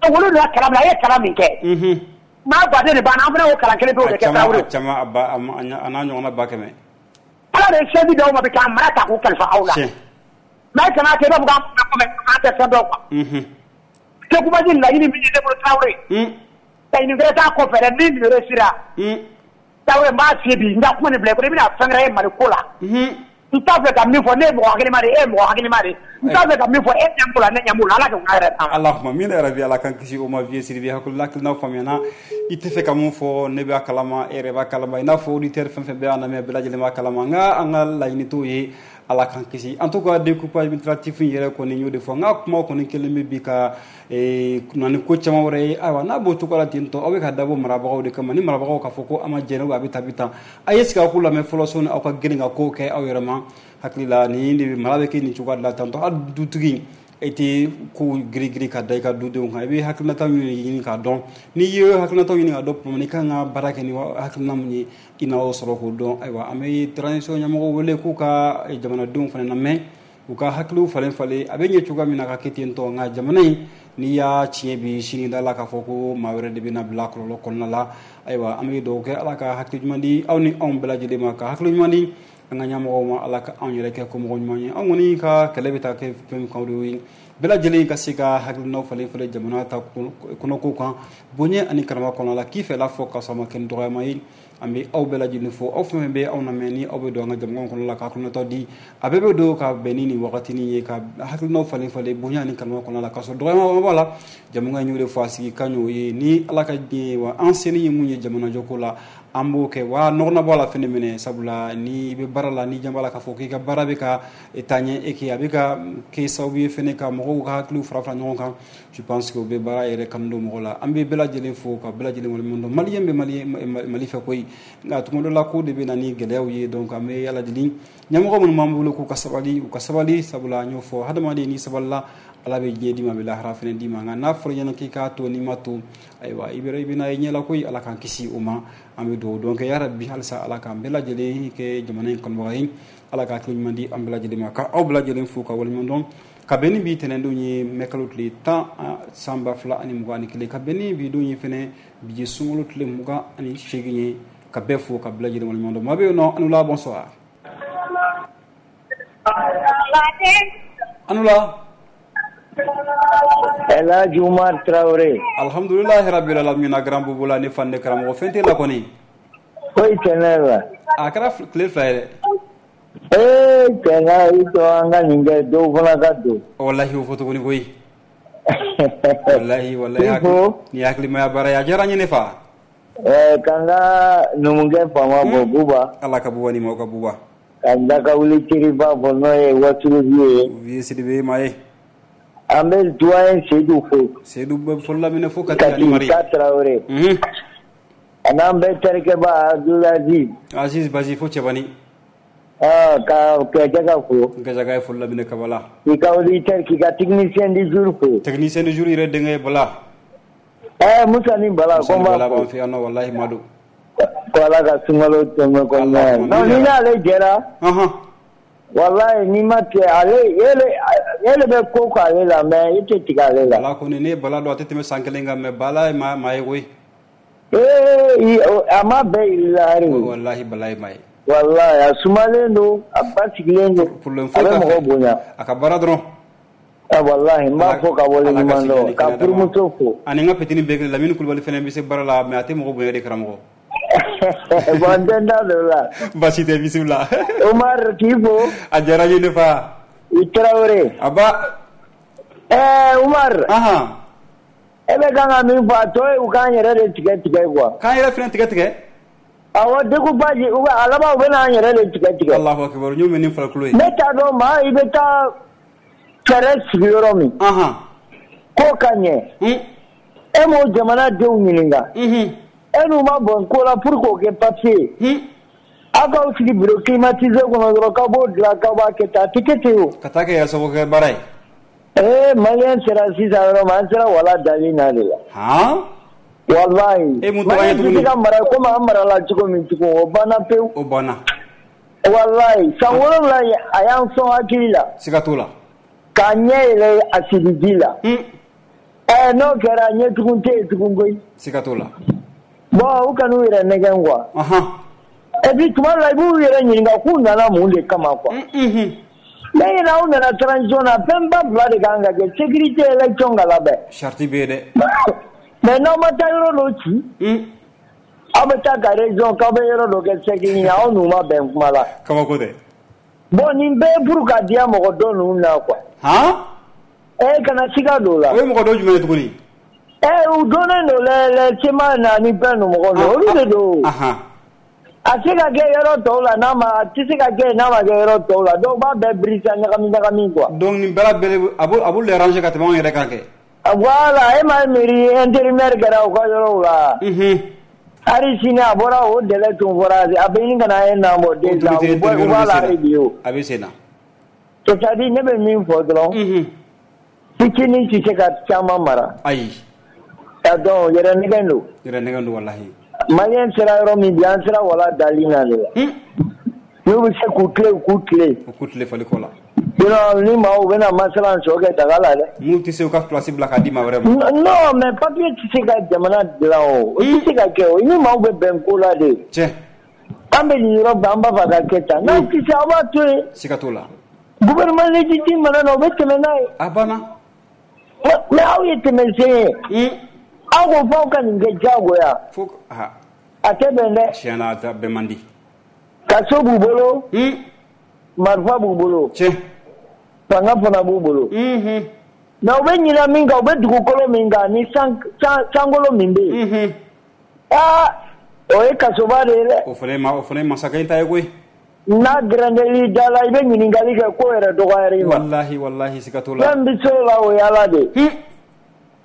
S4: Olu de y'a kalan min a ye kalan min kɛ. Maa baden de b'an na, an fana y'o kalan kelen pe o de kɛ Traoré.
S2: A caman a ba a n'a ɲɔgɔnna ba kɛmɛ.
S4: Ala de ye sɛbi d'aw ma bi k'an mara ta k'u kalifa aw la.
S2: Tiɲɛ.
S4: Mais kana kɛ i b'a fɔ k'an kun an tɛ fɛn dɔn quoi. Découpage laɲini min ye ne bolo Traoré. Laɲini wɛrɛ t'a kɔfɛ dɛ, ni nin réussira. Traoré n b'a f'i ye bi, n ka kuma nin bila i kɔnɔ, i bɛna fɛn wɛrɛ ye Mali ko la. N t'a fɛ ka min fɔ, ne ye mɔgɔ hakilima de ye, e ye mɔgɔ hakilima de ye. N t'a fɛ ka min fɔ, e ɲɛ b'o la, ne ɲɛ b'o la, Ala ka yɛrɛ d'an ma.
S2: Allahumma amina ya Rabbi, Ala k'an kisi o ma. Vieux Sidibe, hakilina hakilina faamuyana. I tɛ fɛ ka mun fɔ, ne b'a kalama, e yɛrɛ b'a kalama, i n'a fɔ auditeur fɛn fɛn bɛ an lamɛn, bɛɛ lajɛlen b'a kalama. Nka an ka laɲini t'o ye, Ala k'an kisi. En tout cas, découpage administratif in yɛrɛ kɔni, y'o de fɔ. N ka kuma kɔni kelen bɛ bi ka na ni ko caman wɛrɛ ye. Ayiwa, n'a b'o cogo la ten tɔ, aw bɛ ka dabɔ marabagaw de kama. Ni marabagaw k'a fɔ ko an ma jɛn, a bɛ tan, a bɛ tan, a ye sigi aw k'u lamɛn fɔlɔ sɔnni aw ka girin ka kow kɛ aw yɛrɛ ma. Hakili la nin de mara bɛ kɛ nin cogoya de la tantɔ. Hali dutigi, e tɛ kow girin-girin ka da i ka dudenw kan, i bɛ hakilinata ɲini k'a dɔn. N'i ye hakilinata ɲini k'a dɔn tuma min, i kan ka baara kɛ ni hakilina mun ye, i na o sɔrɔ k'o dɔn. Ayiwa, an bɛ transition ɲɛmɔgɔw wele k'u ka jamanadenw fana lamɛn, u ka hakiliw falen falen, a bɛ ɲɛ cogoya min na ka kɛ ten tɔ. Nka jamana in, n'i y'a tiɲɛ bi, sini da la k'a fɔ ko maa wɛrɛ de bɛna bila kɔlɔlɔ kɔnɔna la. Ayiwa, an bɛ dugawu kɛ, Ala ka hakili ɲuman di aw ni anw bɛɛ lajɛlen ma, ka hakili ɲuman di an ka ɲɛmɔgɔw ma, Ala ka anw yɛrɛ kɛ komɔgɔ ɲuman ye. Anw kɔni ka kɛlɛ bɛ taa kɛ fɛn min kan, o de ye bɛɛ lajɛlen ka se ka hakilinaw falen falen jamana ta kɔnɔko kan, bonya ani karama kɔnɔ la, k'i fɛla fɔ ka sɔrɔ a ma kɛ ni dɔgɔyama ye. An bɛ aw bɛɛ lajɛlen fo, aw fɛn fɛn bɛ anw lamɛn, ni aw bɛ don an ka jamana kɔnɔ la ka hakilinataw di, a bɛɛ bɛ don ka bɛn ni nin wagatinin ye, ka hakilinaw falen falen bonya ani karama kɔnɔ la, ka sɔrɔ dɔgɔyama b'a la. Jamana in y'o de fɔ, a sigi kan y'o ye. Ni Ala ka diɲɛ ye, wa an seni ye mun ye jamanajɔko la, an b'o kɛ. Wa nɔgɔna bɔ a la fɛnɛ minɛ, sabula ni i bɛ baara la, ni jan b'a la k'a fɔ k'i ka baara bɛ ka taa ɲɛ, e k'e a bɛ ka kɛ sababu ye fɛnɛ ka mɔgɔw ka hakiliw fara fara ɲɔgɔn kan. Je pense que o bɛ baara yɛrɛ kanu don mɔgɔ la. An bɛ bɛɛ lajɛlen fo ka bɛɛ lajɛlen waleɲuman dɔn. Maliyɛn bɛ Mali Mali fɛ koyi, nka tuma dɔ la ko de bɛ na ni gɛlɛyaw ye. Donc an bɛ Ala deli, ɲɛmɔgɔ minnu b'an bolo, k'u ka sabali, u ka sabali, sabula an y'o fɔ, hadamaden n'i sabalila, Ala bɛ diɲɛ d'i ma, a bɛ lahara fɛnɛ d'i ma. Nka n'a fɔra i ɲɛna k'i k'a to, n'i ma to, ayiwa, i bɛ i bɛna i ɲɛ la koyi. Ala k'an kisi o ma. An bɛ dugawu dɔn kɛ yarabi, halisa Ala k'an bɛɛ lajɛlen kɛ jamana in kanubaga ye, Ala ka hakili ɲuman di an bɛɛ lajɛlen ma, ka aw bɛɛ lajɛlen fo ka waleɲuman dɔn. Ka bɛn ni bi tɛnɛndon ye, mɛ kalo tile tan san ba fila ani mugan ani kelen, ka bɛn ni bi don ye fɛnɛ, bi ye sunkalo tile mugan ani seegin ye. Ka bɛɛ fo ka bɛɛ lajɛlen waleɲuman dɔn. Maa bɛ yen nɔ, Anula, bonsoir. Anula.
S3: El Hadj Oumar Traoré.
S2: Alhamdulilahi rabbil alamin, grand bobo la ne fan ne karamɔgɔ fɛn tɛ la kɔni.
S3: Foyi tɛ ne la.
S2: A kɛra tile fila ye dɛ.
S3: Ee cɛ, i to an ka nin kɛ, dɔw fana ka don.
S2: Walahi, o fɔ tuguni koyi. Walahi walahi, nin ye hakilimaya baara ye, a diyara n ye ne fa.
S3: Ɛɛ ka n ka numukɛ faama bɔ Buba.
S2: Ala ka buba ni maaw ka buba.
S3: Ka n da ka wuli teriba fɔ, n'o ye Wasulu ye.
S2: Vieux Sidibe maa ye.
S3: An bɛ doyen Seydou fo.
S2: Seydou bɛ fɔlɔ laminɛ fo Kati ani Mari.
S3: Kati Traoré. A n'an bɛɛ terikɛba Abdulaziz.
S2: Aziz Bazi fo Cɛbani.
S3: Ah, ka Gɛjɛka fo.
S2: Gɛjɛka ye fɔlɔ laminɛ Kabala.
S3: K'i ka auditeur, k'i ka technicien du jour fo.
S2: Technicien du jour yɛrɛ denkɛ ye Bala.
S3: Eh Musa ni Bala
S2: ko
S3: n b'a
S2: Bala b'an fɛ yan nɔ, walahi Madu.
S3: Ko Ala ka sunkalo tɛmɛ kɔnɔna ye. Non, ni n'ale jɛra.
S2: Ɔnhɔn.
S3: Walahi, n'i ma tigɛ ale, e de bɛ ko k'ale la, mais i tɛ tigɛ ale la.
S2: Bala kɔni, ne ye Bala dɔn, a tɛ tɛmɛ san kelen kan, mais Bala ye maa maa ye koyi.
S3: Ee, a ma bɛɛ yir'i la hali.
S2: Walahi, Bala ye maa ye.
S3: Walahi, a sumalen don, a basigilen don, a bɛ mɔgɔ bonya.
S2: A ka baara dɔrɔn.
S3: Ah walahi, n b'a fɔ ka waleɲuman dɔn, ka furumuso fo.
S2: Ani n ka petini bɛɛ kelen, Lamini Kulubali fana bɛ se baara la, mais a tɛ mɔgɔ bonya de, karamɔgɔ.
S3: Bon, n tɛ n da don o la.
S2: Baasi tɛ, bisimila.
S3: Umar, k'i fo.
S2: A diyara n ye ne fa.
S3: I Tarawele.
S2: A ba.
S3: Ɛɛ Umar.
S2: Ahan.
S3: E bɛ kan ka min fɔ a tɔ ye u k'an yɛrɛ de tigɛ tigɛ quoi.
S2: K'an yɛrɛ fana tigɛ tigɛ.
S3: Awɔ découpage u bɛ a laban u bɛ n'an yɛrɛ de tigɛ tigɛ.
S2: Allahu akbar n y'o mɛn ni farikolo ye.
S3: Ne t'a dɔn maa i bɛ taa fɛɛrɛ sigi yɔrɔ min.
S2: Ahan.
S3: Ko ka ɲɛ.
S2: Un.
S3: E m'o jamana denw ɲininka.
S2: Unhun.
S3: E n'u ma bɔn ko la pour k'o kɛ papier ye.
S2: Un.
S3: Aw k'aw sigi bureau climatisé kɔnɔ dɔrɔn k'aw b'o dilan k'aw b'a kɛ tan a tɛ kɛ ten o.
S2: Ka taa kɛ yɛrɛ sago kɛ baara ye.
S3: Ee maliyɛn sera sisan yɔrɔ min an sera wala dali na de la.
S2: Han.
S3: Walayi.
S2: E mun tora ye
S3: maliyɛn tɛ
S2: tuguni.
S3: se ka mara komi an marala cogo min tugun o banna pewu.
S2: O banna.
S3: Walayi san wolonwula in a y'an sɔn hakili la.
S2: Siga t'o la.
S3: K'a ɲɛ yɛlɛ a sigi ji la.
S2: Un.
S3: Ɛɛ n'o kɛra ɲɛtugun tɛ yen tugun koyi.
S2: Siga t'o la.
S3: Bon u kan'u yɛrɛ nɛgɛn quoi.
S2: Ahan.
S3: Et puis tuma dɔ la i b'u yɛrɛ ɲininka k'u nana mun de kama quoi.
S2: Unhun.
S3: Ne ɲinɛ aw nana transition na fɛnba fila de kan ka kɛ sécurité élection ka labɛn.
S2: Charte bɛ yen dɛ.
S3: Mais n'aw ma taa yɔrɔ dɔ ci.
S2: Un.
S3: Aw bɛ taa ka région k'aw bɛ yɔrɔ dɔ kɛ cercle ye aw n'u ma bɛn kuma la.
S2: Kabako tɛ.
S3: Bon nin bɛɛ ye pour ka diya mɔgɔ dɔ ninnu na quoi.
S2: Han.
S3: Ee kana siga don o la.
S2: O ye mɔgɔ dɔ jumɛn ye tuguni.
S3: Ee u donnen don lɛ lɛ C M A na ni fɛn ninnu mɔgɔ ninnu olu de don.
S2: Ahan.
S3: A tɛ se ka kɛ yɔrɔ tɔw la n'a ma a tɛ se ka kɛ n'a ma kɛ yɔrɔ tɔw la dɔw b'a bɛɛ birisa ɲagami ɲagami quoi.
S2: Donc nin bɛɛ lajɛlen a b'o a b'olu arranger ka tɛmɛ anw yɛrɛ kan kɛ.
S3: Voilà e m'a ye mairie intérimaire kɛra u ka yɔrɔw la.
S2: Unhun.
S3: Hali sini a bɔra o délai tun fɔra a bɛ ɲini ka na un an bɔ deux ans u b'a u b'a la hali bi o.
S2: A bɛ sen na.
S3: C'est à dire ne bɛ min fɔ dɔrɔn.
S2: Unhun.
S3: Fitinin tɛ se ka caman mara.
S2: Ayi.
S3: Donc yɛrɛ nɛgɛn don.
S2: Yɛrɛ nɛgɛn don walahi.
S3: Maliyɛn sera yɔrɔ min bi an sera wala dali na de la. N'u bɛ se k'u tilen u k'u tilen.
S2: U k'u tilen fali kɔ la.
S3: Sinon ni maaw bɛna masala sɔ kɛ daga la dɛ.
S2: N'u tɛ se u ka place bila k'a di maa wɛrɛ ma.
S3: Non mais papier tɛ se ka jamana dilan o. O tɛ se ka kɛ o. Ni maaw bɛ bɛn ko la de.
S2: Tiɲɛ.
S3: An bɛ nin yɔrɔ bɛɛ an b'a fɛ ka kɛ tan. N'aw tɛ se aw b'a to yen.
S2: Siga t'o la.
S3: Gouvernement légitime mana na o bɛ tɛmɛ n'a ye.
S2: A banna.
S3: Mais aw ye tɛmɛsen ye. Aw ko f'aw ka nin kɛ diyagoya.
S2: Fo a.
S3: A tɛ bɛn dɛ.
S2: Tiɲɛ na a bɛn man di.
S3: Kaso b'u bolo. Marifa b'u bolo.
S2: Tiɲɛ.
S3: Fanga fana b'u bolo. Mais u bɛ ɲinɛ min kan u bɛ dugukolo min kan ni san sankolo min bɛ yen. Aa o ye kasoba de ye dɛ.
S2: O fana ye ma o fana ye masakɛ in ta ye koyi.
S3: N'a gɛrɛndɛl'i da la i bɛ ɲininkali kɛ ko yɛrɛ dɔgɔyara i ma.
S2: Walahi walahi siga t'o la.
S3: Fɛn bɛ se o la o ye Ala de ye.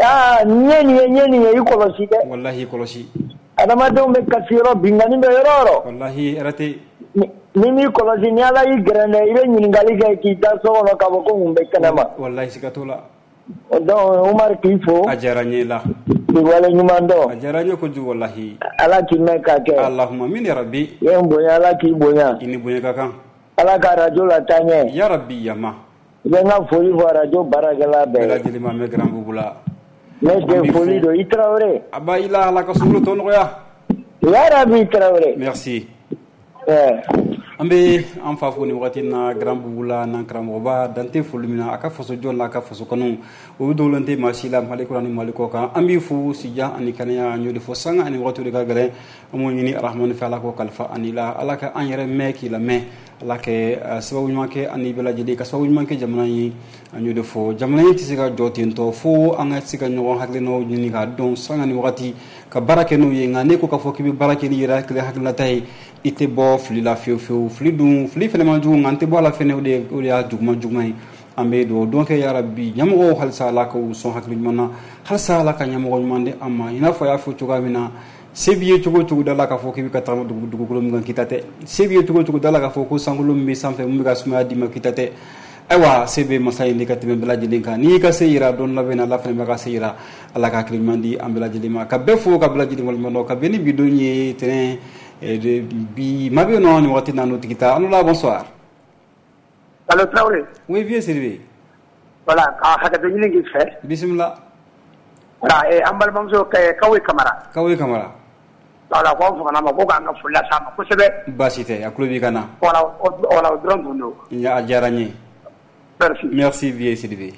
S3: Aa n ye nin ye n ye nin ye i kɔlɔsi dɛ.
S2: Walahi i kɔlɔsi.
S3: Adamadenw bɛ kasi yɔrɔ binkanni bɛ yɔrɔ o yɔrɔ.
S2: Walahi hɛrɛ tɛ yen.
S3: Ni m'i kɔlɔsi ni Ala y'i gɛrɛndɛ i bɛ ɲininkali kɛ k'i da so kɔnɔ k'a fɔ ko mun bɛ kɛnɛ ma.
S2: Walahi siga t'o la.
S3: Donc Umaru k'i fo.
S2: A diyara n ye la.
S3: K'i waleɲuman dɔn.
S2: A diyara n ye kojugu walahi.
S3: Ala k'i mɛn ka kɛ.
S2: Allahumma amin ya rabbi.
S3: I ye n bonya Ala k'i bonya.
S2: I ni bonya ka kan.
S3: Ala ka radio lataa ɲɛ.
S2: Ya rabbi yama.
S3: I bɛ n ka foli fɔ radio baarakɛla bɛɛ ye.
S2: Bɛɛ lajɛlen ma an bɛ grand boubou la.
S3: Ne den foli don i Tarawele.
S2: A ba i la Ala ka sunkalo tɔ nɔgɔya.
S3: Ya rabbi Tarawele.
S2: Merci.
S3: Ɛɛ.
S2: An bɛ an fa fo nin wagati in na grand boubou la n'an karamɔgɔba dan tɛ foli min na a ka faso jɔ n'a ka faso kanu o dogolen tɛ maa si la Mali kɔnɔ ni Mali kɔ kan an b'i fo sijan ani kɛnɛya an y'o de fɔ sanga ani wagati de ka gɛlɛn an b'o ɲini Arahamani fɛ Ala k'o kalifa ani la Ala ka an yɛrɛ mɛn k'i lamɛn Ala ka sababu ɲuman kɛ ani bɛɛ lajɛlen ka sababu ɲuman kɛ jamana ye an y'o de fɔ jamana in tɛ se ka jɔ ten tɔ fo an ka se ka ɲɔgɔn hakilinaw ɲini k'a dɔn sanga ni wagati ka baara kɛ n'o ye nka ne ko k'a fɔ k'i bɛ baara kɛ n'i yɛrɛ hakili hakilinata ye i tɛ bɔ fili la fiyewu fiyewu fili dun fili fɛnɛ man jugu nka n tɛ bɔ a la fɛnɛ o de o de y'a juguman juguman ye an bɛ dugawu don kɛ yarabi ɲɛmɔgɔw halisa Ala k'u sɔn hakili ɲuman na halisa Ala ka ɲɛmɔgɔ ɲuman di an ma i n'a fɔ a y'a fɔ cogoya min na se b'i ye cogo o cogo da la k'a fɔ k'i bɛ ka tagama dugukolo min kan k'i ta tɛ se b'i ye cogo o cogo da la k'a fɔ ko sankolo min bɛ sanfɛ mun bɛ ka sumaya d'i ma k'i ta tɛ ayiwa se bɛ masa in de ka tɛmɛ bɛɛ lajɛlen kan n'i y'i ka se yira don labɛn na Ala fana bɛ ka se yira Ala ka hakili ɲuman di an bɛɛ lajɛlen ma ka bɛɛ fo ka bɛɛ lajɛlen waleɲuman dɔn ka bɛn ni bi don ye tɛnɛn bi maa bɛ yen nɔ nin waati na n'o tigi ta an la bonsoir.
S4: Allo Traoré.
S2: Oui vieux Sidibé.
S4: Voilà ka hakɛto ɲini k'i fɛ.
S2: Bisimila.
S4: Voilà eh, an balimamuso Kawe Kamara.
S2: Kawe Kamara.
S4: Voilà ko an famana ma ko k'an ka foli las'a ma kosɛbɛ.
S2: Baasi tɛ a tulo b'i ka na.
S4: Voilà o voilà o dɔrɔn tun don.
S2: A diyara n ye.
S4: Merci.
S2: Merci vieux Sidibé.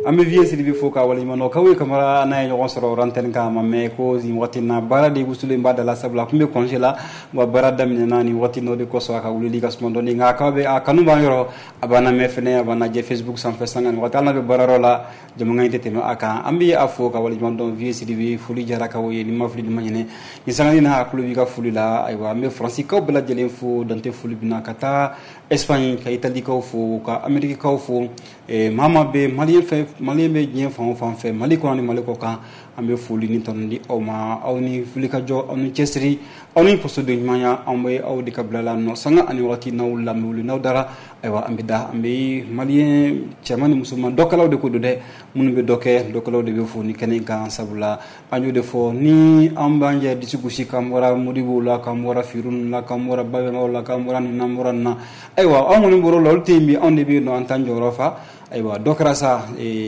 S2: An bɛ Vieux Sidibe fo k'a waleɲuman dɔn. Kawo Kamara n'a ye ɲɔgɔn sɔrɔ antenne kan, a ma mɛn ko nin waati in na baara de wusulen b'a da la, sabula a tun bɛ congé la, wa baara daminɛna nin waati in na, o de kosɔn a ka wulili ka suma dɔɔnin. Nka a bɛ a kanu b'an yɔrɔ, a b'an lamɛn fɛnɛ, a b'an lajɛ Facebook sanfɛ sanga ni waati, hali n'a bɛ baarayɔrɔ la, jamakan in tɛ tɛmɛ a kan. An bɛ a fo ka waleɲuman dɔn. Vieux Sidibe, foli jara Kawo ye, ni ma fili ni ma ɲinɛ nin sanga in na, a tulo b'i ka foli la. Ayiwa, an bɛ Faransikaw bɛɛ lajɛlen fo, dante foli min na, ka taa Espagne, ka Italikaw fo, ka Amerikikaw fo. Maa maa bɛ Malien fɛ, Malien bɛ diɲɛ fan o fan fɛ, Mali kɔnɔ ni Mali kɔ kan, an bɛ foli ni tanu di aw ma. Aw ni wulikajɔ, aw ni cɛsiri, aw ni fasoden ɲumanya, anw bɛ aw de ka bila la nɔ sanga ani waati n'aw lamɛnwuli n'aw dara. Ayiwa, an bɛ da, an bɛ Malien cɛman ni musoman dɔkɛlaw de ko don dɛ, minnu bɛ dɔ kɛ, dɔkɛlaw de bɛ fo ni kɛnɛ kan, sabula an y'o de fɔ ni an b'an jɛ disi gosi k'an bɔra Modibow la, k'an bɔra Firun la, k'an bɔra Babɛnbaw la, k'an bɔra nin na, an bɔra nin na. Ayiwa, anw kɔni bɔr'o la, olu tɛ yen bi, anw de bɛ yen nɔ, an t'an jɔyɔrɔ fa. Ayiwa, dɔ kɛra sa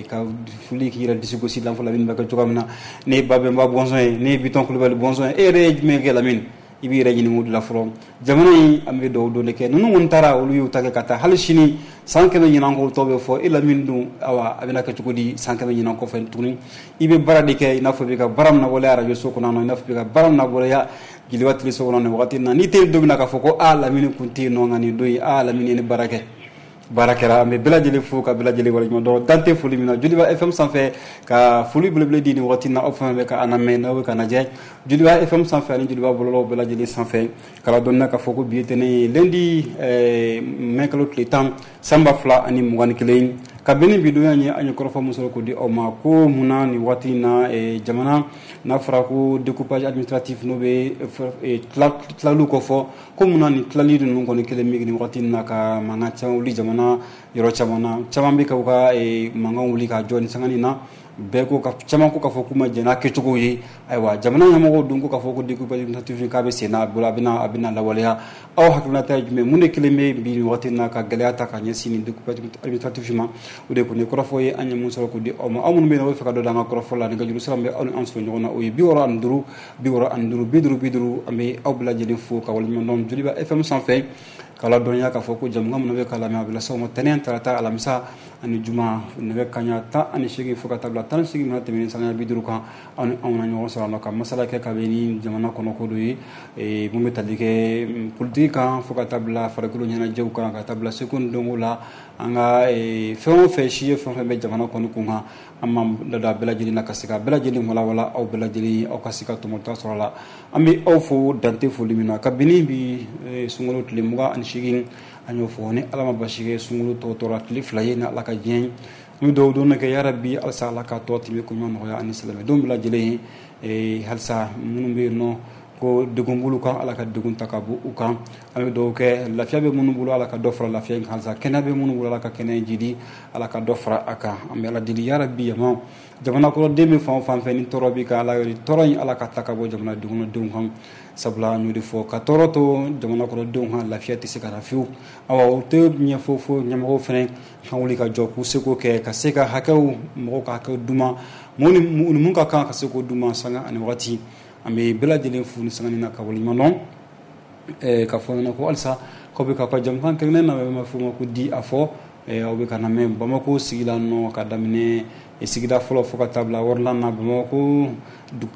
S2: ka foli k'i yɛrɛ disi gosi la fɔlɔ, Lamini bɛ kɛ cogoya min na. Ne ye Babɛnba bɔnsɔn ye, ne ye Bitɔn Kulubali bɔnsɔn ye, e yɛrɛ ye jumɛn kɛ Lamini? I b'i yɛrɛ ɲininka o de la fɔlɔ. Jamana in, an bɛ dugawu don de kɛ, ninnu kɔni taara, olu y'u ta kɛ ka taa, hali sini san kɛmɛ ɲinan kɔ tɔ bɛ fɔ e Lamini dun. Awa, a bɛna kɛ cogo di san kɛmɛ ɲinan kɔfɛ tuguni? I bɛ baara de kɛ i n'a fɔ i bɛ ka baara min waleya arajo so kɔnɔ, i n'a fɔ i bɛ ka baara min waleya Joliba Télé so kɔnɔ nin wagati in na. N'i tɛ yen don min na, k'a fɔ ko aa Lamini kun tɛ yen nɔ, nka nin don in, aa Lamini ye ni baara kɛ, baara kɛra. An bɛ bɛɛ lajɛlen fo ka bɛɛ lajɛlen waleɲuman dɔn, dan tɛ foli min na Joliba F M sanfɛ, ka foli belebele di nin waati in na aw fɛn fɛn bɛ ka an lamɛn, n'aw bɛ ka lajɛ Joliba F M sanfɛ ani Joliba bɔlɔlɔw bɛɛ lajɛlen sanfɛ. K'a ladɔnniya k'a fɔ ko bi ye tɛnɛn ye, lundi mai kalo tile tan san ba fila ani mugan ni kelen, ka bɛn ni bi donya ye, an ye kɔrɔfɔ min sɔrɔ k'o di aw ma, ko munna nin waati in na jamana n'a fɔra ko découpage administratif, n'o bɛ tilaliw kɔfɔ, ko munna nin tilali ninnu kɔni kelen bɛ nin waati in na ka mankan caman wuli jamana yɔrɔ caman na. Caman bɛ ka u ka mankan wuli ka jɔ nin sanga in na, bɛɛ ko ka caman ko k'a fɔ k'u ma jɛn n'a kɛcogo ye. Ayiwa, jamana ɲɛmɔgɔw dun ko k'a fɔ ko découpage administratif k'a bɛ sen na, a bolo a bɛna a bɛna lawaleya. Aw hakilinata ye jumɛn? Mun de kelen bɛ bi nin waati in na ka gɛlɛya ta ka ɲɛsin nin découpage administratif ma? O de kɔni ye kɔrɔfɔ ye an ye mun sɔrɔ k'o di aw ma. Aw minnu bɛ yen, n'aw bɛ fɛ ka dɔ d'an ka kɔrɔfɔ la, nɛgɛjuru sira min bɛ aw ni an sɔrɔ ɲɔgɔn na, o ye bi wɔɔrɔ ani duuru bi wɔɔrɔ ani duuru bi duuru bi duuru. An bɛ aw bɛɛ lajɛlen fo ka waleɲuman dɔn Joliba F M sanfɛ, k'a ladɔnniya k'a fɔ ko jamukan minnu bɛ k'a lamɛn, a bɛ lase aw ma tɛnɛn, tarata, alamisa ani juma, nɛgɛ kanɲɛ tan ani seegin fo ka taa bila tan ni seegin mana tɛmɛnen sanga bi duuru kan. Aw ni anw na ɲɔgɔn sɔrɔ a ka masala kɛ kabini jamana kɔnɔ ko dɔ ye, mun bɛ tali kɛ politiki kan fo ka taa bila farikolo ɲɛnajɛw kan, ka taa bila seko ni dɔnko la, an ka fɛn o fɛn si ye, fɛn o fɛn bɛ jamana kɔni kun kan, an b'an da don a bɛɛ lajɛlen na ka se ka bɛɛ lajɛlen walawala aw bɛɛ lajɛlen, aw ka se ka tɔmɔta sɔrɔ a la. An bɛ aw fo dante foli min na kabini bi sunkalo tile mugan ani seegin, an y'o fɔ ni Ala ma basi kɛ, sunkalo tɔ tora tile fila ye ni Ala ka diɲɛ ye. An bɛ dugawu don kɛ yarabi, halisa Ala ka tɔ tɛmɛ ko ɲuman nɔgɔya ani silamɛdenw bɛɛ lajɛlen ye. Halisa minnu bɛ yen nɔ ko degun b'olu kan, Ala ka degun ta ka bɔ u kan. An bɛ dugawu kɛ, lafiya bɛ minnu bolo, Ala ka dɔ fara lafiya in kan, halisa kɛnɛya bɛ minnu bolo, Ala ka kɛnɛya jidi, Ala ka dɔ fara a kan. An bɛ Ala deli yarabi, yama jamana kɔnɔden bɛ fan o fan fɛ ni tɔɔrɔ b'i kan, Ala tɔɔrɔ in Ala ka ta ka bɔ jamana kɔnɔdenw kan, sabula an y'o de fɔ, ka tɔɔrɔ to jamana kɔnɔdenw kan, lafiya tɛ se ka na fiyewu. Awa, o tɛ ɲɛfɔ fo ɲɛmɔgɔw fana ka wuli ka jɔ k'u seko kɛ ka se ka hakɛw, mɔgɔw ka hakɛw d'u ma, mun ni mun ka kan ka se k'o d'u ma sanga ani waati. An bɛ bɛɛ lajɛlen fo ni sanga na ka waleɲuman dɔn, k'a fɔ ɲɛna ko halisa k'aw bɛ k'aw ka jamukan kɛrɛnkɛrɛnnen na bɛ f'o ma ko di a fɔ. Aw bɛ ka na mɛn Bamako sigi la nɔ, ka daminɛ sigida fɔlɔ fo ka taa bila wɔɔrɔnan na, Bamako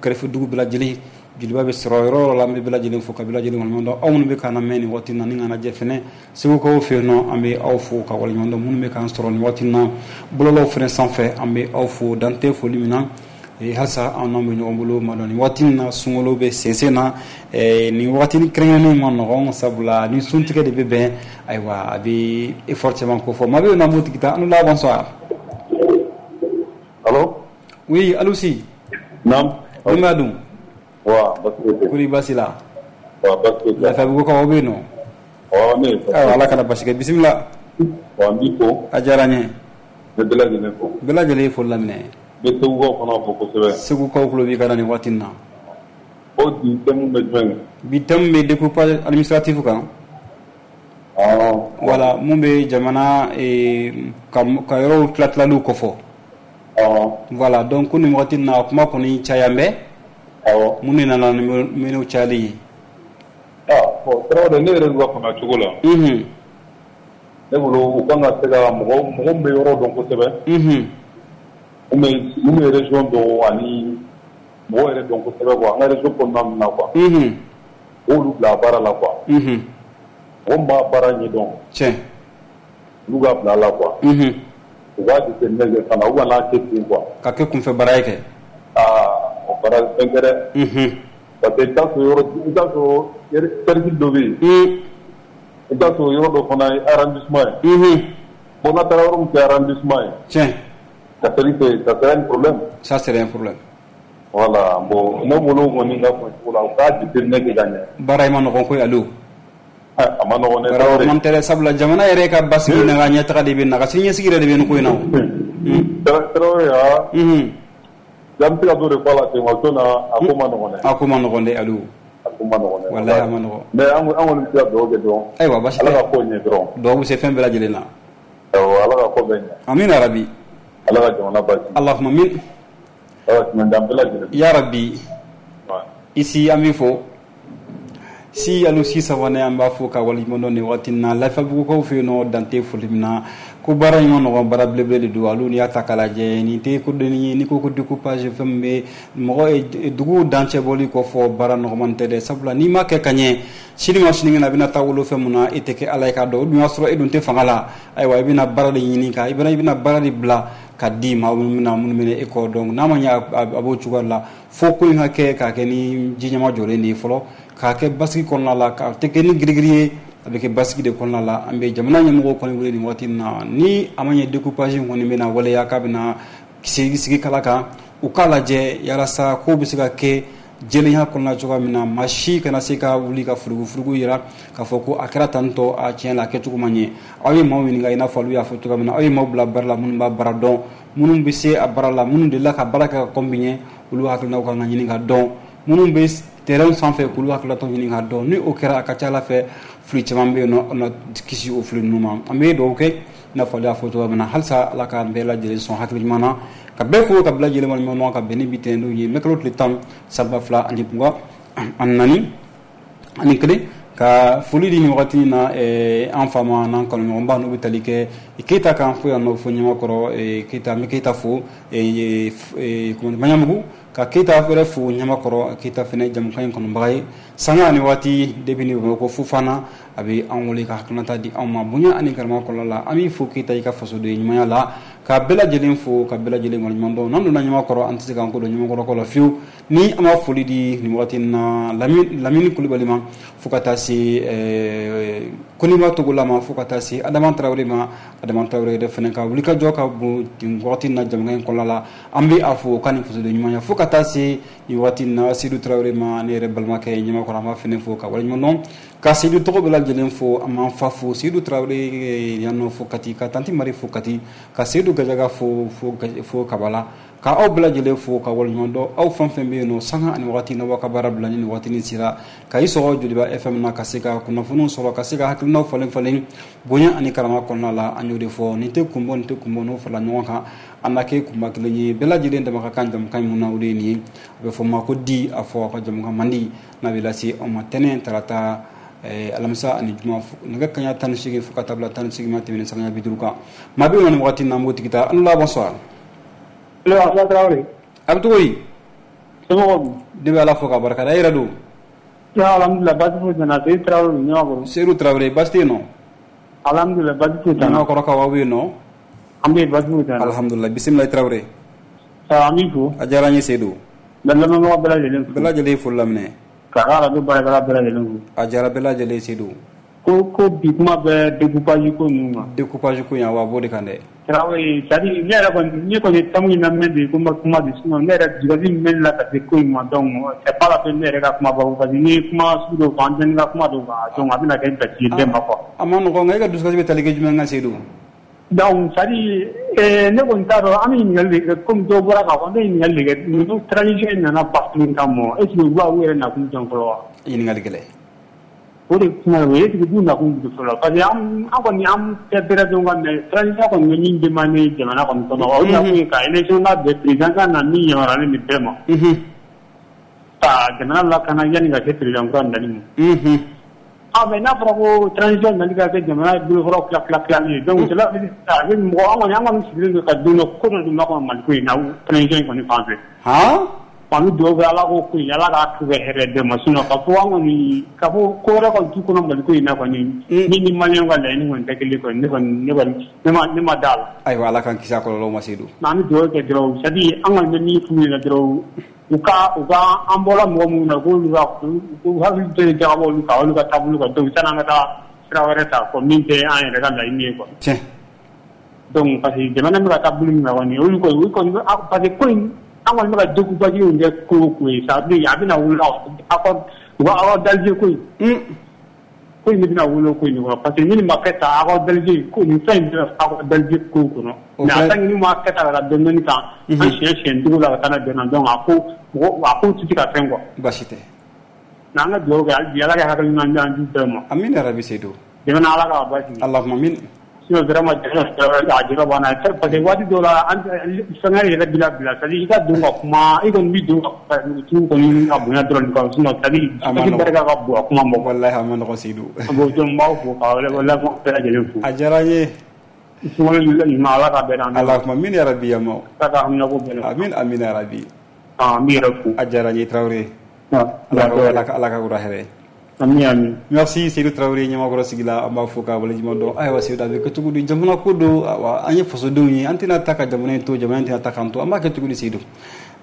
S2: kɛrɛfɛ dugu bɛɛ lajɛlen, Joliba bɛ sɔrɔ yɔrɔ yɔrɔ la. An bɛ bɛɛ lajɛlen fo ka bɛɛ lajɛlen waleɲuman dɔn. Aw minnu bɛ k'an lamɛn nin waati in na ni k'an lajɛ fɛnɛ Segukaw fɛ yen nɔ, an bɛ aw fo ka waleɲuman dɔn. Minnu bɛ k'an sɔrɔ nin waati in na bɔlɔlɔw fɛnɛ sanfɛ, an bɛ aw fo dan tɛ foli min na. Halisa an n'aw bɛ ɲɔgɔn bolo ma dɔn nin waati in na, sunkalo bɛ sensen na, nin waati kɛrɛnkɛrɛnnen ma nɔgɔn, sabula ni suntigɛ de bɛ bɛn. Ayiwa, a bɛ effort caman ko fɔ maa bɛ yen nɔ, an b'o tigi ta. An la, bonsoir.
S5: Allo.
S2: Oui, allo si.
S5: Naam.
S2: Denbaya dun?
S5: Wa basi tɛ.
S2: Kori baasi la?
S5: Wa basi tɛ.
S2: Lafiyabugu kaw bɛ yen nɔ?
S5: Ɔ ne ye.
S2: Ayiwa, Ala kana basi kɛ, bisimila.
S5: Wa n b'i fo.
S2: A diyara n ye.
S5: N bɛ bɛɛ lajɛlen fo.
S2: Bɛɛ lajɛlen ye foli laminɛ.
S5: N bɛ Segukaw fana fo kosɛbɛ.
S2: Segukaw tulo b'i ka nin waati in na.
S5: O bi thème bɛ jumɛn kan?
S2: Bi thème bɛ découpage administratif kan.
S5: Ɔɔ.
S2: Voilà, mun bɛ jamana ka ka yɔrɔw tila tilaliw kɔfɔ.
S5: Ɔɔ.
S2: Voilà, donc ko nin waati in na kuma kɔni caya bɛ.
S5: Awɔ.
S2: Mun de nana ni minɛnw cayali ye?
S5: Ah bon, Tarawele, ne yɛrɛ ka faamuya cogo la.
S2: Unhun.
S5: Ne bolo, u kan ka se ka mɔgɔ mɔgɔ min bɛ yɔrɔ dɔn kosɛbɛ.
S2: Unhun.
S5: Mun bɛ mun bɛ région dɔn ani mɔgɔ yɛrɛ dɔn kosɛbɛ quoi, an ka région kɔnɔna ninnu na quoi.
S2: Unhun.
S5: Olu bila baara la quoi.
S2: Unhun.
S5: Mɔgɔ min b'a baara ɲɛdɔn.
S2: Tiɲɛ.
S5: Olu ka bila a la quoi.
S2: Unhun.
S5: U b'a jateminɛ kɛ fana, u kana kɛ ten quoi.
S2: Ka kɛ kunfɛ baara ye kɛ.
S5: Aa, o baara fɛn tɛ dɛ.
S2: Unhun.
S5: Parce que i bɛ taa sɔrɔ yɔrɔ, i bɛ taa sɔrɔ cercle dɔ bɛ yen.
S2: Un.
S5: I bɛ taa sɔrɔ yɔrɔ dɔ fana ye arrondissement ye.
S2: Unhun.
S5: Bon, n'a taara yɔrɔ min tɛ arrondissement ye.
S2: Tiɲɛ.
S5: Ça serait ça serait un problème.
S2: Ça serait un problème.
S5: Voilà, bon, ne bolo kɔni ka fɔ cogo la, u k'a jateminɛ kɛ ka ɲɛ.
S2: Baara in ma nɔgɔn koyi Aliou.
S5: A ma nɔgɔn dɛ.
S2: Baara man tɛ dɛ, sabula jamana yɛrɛ ka basigi n'a ka ɲɛtaga de bɛ na, ka siniɲɛsigi yɛrɛ de bɛ nin ko in na o.
S5: Tarawele aa.
S2: Unhun.
S5: An bɛ se ka dɔ de fɔ a la ten wa, sinon a ko ma nɔgɔn dɛ.
S2: A ko ma nɔgɔn dɛ Aliou.
S5: A ko ma nɔgɔn dɛ.
S2: Walahi a ma nɔgɔn.
S5: Mais an an kɔni bɛ se ka dugawu kɛ dɔrɔn.
S2: Ayiwa, baasi tɛ.
S5: Ala ka ko ɲɛ dɔrɔn.
S2: Dugawu bɛ se fɛn bɛɛ lajɛlen na.
S5: Awɔ, Ala ka ko bɛɛ ɲɛ.
S2: Amina rabi.
S5: Ala ka jamana basigi.
S2: Allahumma amin.
S5: Ala ka tɛmɛ d'an bɛɛ lajɛlen.
S2: Ya Rabbi. Ici an b'i fo. Si Aliou Si Sawane, an b'a fo ka waleɲuman dɔn nin waati in na Lafiyabugukaw fɛ yen nɔ, dan tɛ foli min na ko baara in ma nɔgɔn, baara belebele de don. Aliou, n'i y'a ta k'a lajɛ, nin tɛ ko dennin ye. N'i ko ko découpage, fɛn min bɛ mɔgɔ dugu dancɛ bɔli kɔfɔ, baara nɔgɔman tɛ dɛ, sabula n'i ma kɛ ka ɲɛ, sini ma sinikɛnɛ a bɛna taa wolo fɛn mun na, e tɛ kɛ Ala ye k'a dɔn. O dun y'a sɔrɔ e dun tɛ fanga la. Ayiwa, i bɛna baara de ɲini ka i bɛna i bɛna baara de bila ka di maa minnu bɛna minnu bɛna e kɔ. Donc n'a ma ɲɛ a b'o cogoya la, fo ko in ka kɛ k'a kɛ ni ji ɲɛma jɔlen de ye fɔlɔ, k'a kɛ basigi kɔnɔna la, k'a tɛ kɛ ni girigiri ye, a bɛ kɛ basigi de kɔnɔna la. An bɛ jamana ɲɛmɔgɔw kɔni wele nin waati in na, ni a ma ɲɛ découpage in kɔni bɛna waleya k'a bɛna sigi sigi kala kan, u k'a lajɛ yalasa ko bɛ se ka kɛ jɛlenya kɔnɔna cogoya min na, maa si kana se ka wuli ka furugufurugu yira k'a fɔ ko a kɛra tan tɔ, a tiɲɛ la a kɛcogo ma ɲɛ. Aw ye maaw ɲininka, i n'a fɔ olu y'a fɔ cogoya min na, aw ye maaw bila baara la minnu b'a baara dɔn, minnu bɛ se a baara la, minnu delila ka baara kɛ ka kɔn bi ɲɛ, olu hakilinaw kan ka ɲini ka dɔn, minnu bɛ terrain sanfɛ k'olu hakilinataw ɲini ka dɔn. Ni o kɛra, a ka ca Ala fɛ fili caman bɛ yen nɔ, an na kisi o fili ninnu ma. An bɛ dugawu kɛ, i n'a fɔ ale y'a fɔ cogoya min na, halisa Ala k'an bɛɛ lajɛlen sɔn hakili ɲuman na, ka bɛɛ fo ka bila lajɛlen waleɲuman dɔn, ka bɛn ni bi tɛnɛndon ye, mɛ kalo tile tan san ba fila ani mugan ani naani ani kelen, ka foli di nin wagati in na an fa ma n'an kanuɲɔgɔnba n'u bɛ tali kɛ Keyita kan fo yan nɔ, fo Ɲamakɔrɔ Keyita. An bɛ Keyita fo Maɲamugu, ka Keyita yɛrɛ fo Ɲamakɔrɔ. Keyita fɛnɛ jamukan in kɔnɔbaga ye sanga ani waati depuis ni Bamakɔ Fofana, a bɛ an wele ka hakilinata di anw ma bonya ani karama kɔnɔna la. An b'i fo Keyita i ka fasoden ɲumanya la, ka bɛɛ lajɛlen fo, ka bɛɛ lajɛlen waleɲuman dɔn. N'an donna Ɲamakɔrɔ, an tɛ se k'an ko don Ɲamakɔrɔkaw la fiyewu ni an b'a foli di nin waati in na Lamini Kulibali ma, fo ka taa se Koniba Togola ma, fo ka taa se Adama Tarawele ma. Adama Tarawele yɛrɛ fɛnɛ ka wulikajɔ ka bon nin waati in na jamukan in kɔnɔna la, an bɛ a fo ka nin fasoden ɲumanya, fo ka taa se nin waati in na Seydou Tarawele ma, ne yɛrɛ balimakɛ Ɲamakɔrɔ, an b'a fɛnɛ fo ka waleɲuman dɔn, ka Seydou tɔgɔ bɛɛ lajɛlen fo. An b'an fa fo Seydou Tarawele yan nɔ fo Kati, ka tanti Mari fo Kati, ka Seydou Gajaga fo fo fo Kabala, ka aw bɛɛ lajɛlen fo ka waleɲuman dɔn. Aw fɛn fɛn bɛ yen nɔ, sanga ani waati n'aw ka baara bila ni nin waati nin sera, ka i sɔgɔ Joliba F M na, ka se ka kunnafoniw sɔrɔ, ka se ka hakilinaw falen falen bonya ani karama kɔnɔna la. An y'o de fɔ, nin tɛ kun bɔ, nin tɛ kun bɔ, n'o farala ɲɔgɔn kan an na kɛ kunba kelen ye. Bɛɛ lajɛlen dama ka kan jamukan min na, o de ye nin ye, a bɛ fɔ ma ko di, a fɔ aw ka jamukan man di n'a bɛ lase aw ma tɛnɛn, tarata, alamisa ani juma, nɛgɛ kanɲɛ tan ni seegin fo ka taa bila tan ni seegin ma tɛmɛnen sanga bi duuru kan. Maa bɛ yen nɔ nin waati in na, an b'o tigi ta. An la bonsoir.
S4: Allo, Asa Traoré.
S2: A bɛ cogo di?
S4: Somɔgɔw dun?
S2: Ne bɛ Ala fo k'a barika da. E yɛrɛ dun?
S4: Alhamdulilah, baasi foyi tɛ n na. Seydou Traoré Ɲamakɔrɔ.
S2: Seydou Traoré, baasi tɛ yen nɔ?
S4: Alhamdulilah, baasi foyi tɛ n na.
S2: Ɲamakɔrɔkaw, aw bɛ yen nɔ?
S4: An bɛ yen, baasi foyi tɛ n na.
S2: Alhamdulilah, bisimila Traoré.
S4: An b'i fo.
S2: A diyara n ye Seydou.
S4: N bɛ lamɛnbaga bɛɛ lajɛlen fo.
S2: Bɛɛ lajɛlen ye foli laminɛ.
S4: Ka arajo baarakɛla bɛɛ lajɛlen fo.
S2: A diyara bɛɛ lajɛlen Seydou.
S4: Ko ko bi kuma bɛ découpage ko ninnu kan.
S2: Découpage ko in, awɔ, a b'o de kan dɛ.
S4: Traoré, c'est à dire ne yɛrɛ kɔni, ne kɔni tamu in lamɛn de ko n ma kuma bi, sinon ne yɛrɛ dusukasi min bɛ ne la ka se ko in ma, donc c'est pas la peine ne yɛrɛ ka kuma ba parce que n'i ye kuma sugu dɔw fɔ, an tɛ ka kuma dɔw kan, donc a bɛna kɛ gasi ye bɛɛ ma quoi.
S2: A ma nɔgɔn, nka e ka dusukasi bɛ tali kɛ jumɛn kan Seydou?
S4: Donc c'est à dire ne kɔni t'a dɔn, an bɛ ɲininkali de kɛ komi dɔw bɔra k'a fɔ, an bɛ ɲininkali de kɛ, ninnu transition in nana bafouer kama, est ce que u b'a u yɛrɛ nakun dɔn fɔlɔ wa?
S2: Ɲininkali gɛlɛn.
S4: O de kuma o ye est-ce que b'u nakun dɔn fɔlɔ, parce que an an kɔni an tɛ bɛrɛ dɔn ka mais transition kɔni bɛ min demandé jamana kɔni kɔnɔ, o nakun ye ka élection labɛn, président ka na min yamaruyalen bɛ bɛɛ ma. Ka jamana lakana yanni ka se président kura nali ma. Ah mais n'a fɔra ko transition nali ka kɛ jamana bolofaraw tila tila tilali ye donc cela veut dire a bɛ mɔgɔ an kɔni an kɔni sigilen don ka don dɔ ko dɔ dun b'a kɔnɔ Mali ko in na transition in kɔni fan fɛ.
S2: Han.
S4: An bɛ dugawu kɛ Ala k'o ko in Ala k'a kɛ hɛrɛ bɛɛ ma sinon ka fɔ an kɔni ka fɔ ko wɛrɛ kɔni t'u kɔnɔ Mali ko in na kɔni min ni maliyɛnw ka laɲini kɔni tɛ kelen kɔni ne kɔni ne kɔni ne ma ne ma d'a la.
S2: Ayiwa Ala k'an kisi a kɔlɔlɔw ma Seydou.
S4: An bɛ dugawu kɛ dɔrɔn c'est à dire an kɔni bɛ min f'u ɲɛna dɔrɔn u ka u ka an bɔra mɔgɔ minnu na k'olu ka u hakili to jagabɔ olu kan olu ka taabolo kan donc sanni an ka taa sira wɛrɛ ta quoi min tɛ an yɛrɛ ka laɲini ye quoi.
S2: Tiɲɛ.
S4: Donc parce que jamana bɛ ka taa bolo min kan kɔni olu kɔni olu kɔni parce que ko in an kɔni bɛ ka découpage in kɛ ko o ko ye ça veut dire a bɛna wolo accord u ka accord d'Alger ko in. Ko in bɛna wolo ko in kɔnɔ parce que ni nin ma kɛ tan accord d'Alger ko nin fɛn in bɛna accord d'Alger ko kɔnɔ. Mais a tant que n'u ma kɛ tan ka taa dɔɔni dɔɔni tan an siɲɛ siɲɛ duuru la ka taa n'a bɛn na donc a ko mɔgɔ a ko tɛ se ka fɛn quoi.
S2: Baasi tɛ.
S4: Mais an ka dugawu kɛ hali bi Ala ka hakili ɲuman di an du bɛɛ ma.
S2: Amina yarabi Seydou.
S4: Jamana Ala k'a basigi.
S2: Allahumma amin.
S4: Sinon vraiment a jɔrɔ b'an na parce que waati dɔw la an fɛngɛ yɛrɛ b'i labila c'est à dire i ka don ka kuma i kɔni b'i don ka tu kɔni ka bonya dɔrɔn quoi sinon c'est à dire i barika ka bon a kuma ma.
S2: Walahi a ma nɔgɔn Seydou.
S4: Bon donc n b'aw fo ka lamɛnbagaw bɛɛ lajɛlen fo.
S2: A diyara n ye.
S4: Sunkalo ɲuman Ala k'a bɛɛ d'an ma.
S2: Allahumma amin yarabi yamaw.
S4: Ala ka haminanko bɛɛ nɔgɔya.
S2: Amin amin yarabi.
S4: Ah n b'i yɛrɛ fo.
S2: A diyara n ye Tarawele. Ala ka Ala ka wula hɛrɛ.
S4: Ami ami.
S2: Merci Seydou Traoré ɲamakɔrɔ sigi la an b'a fo k'a waleɲuman dɔn. Ayiwa Seydou a bɛ kɛ cogo di jamana ko don awa an ye fasodenw ye an tɛna taa ka jamana in to jamana in tɛna taa k'an to an b'a kɛ cogo di Seydou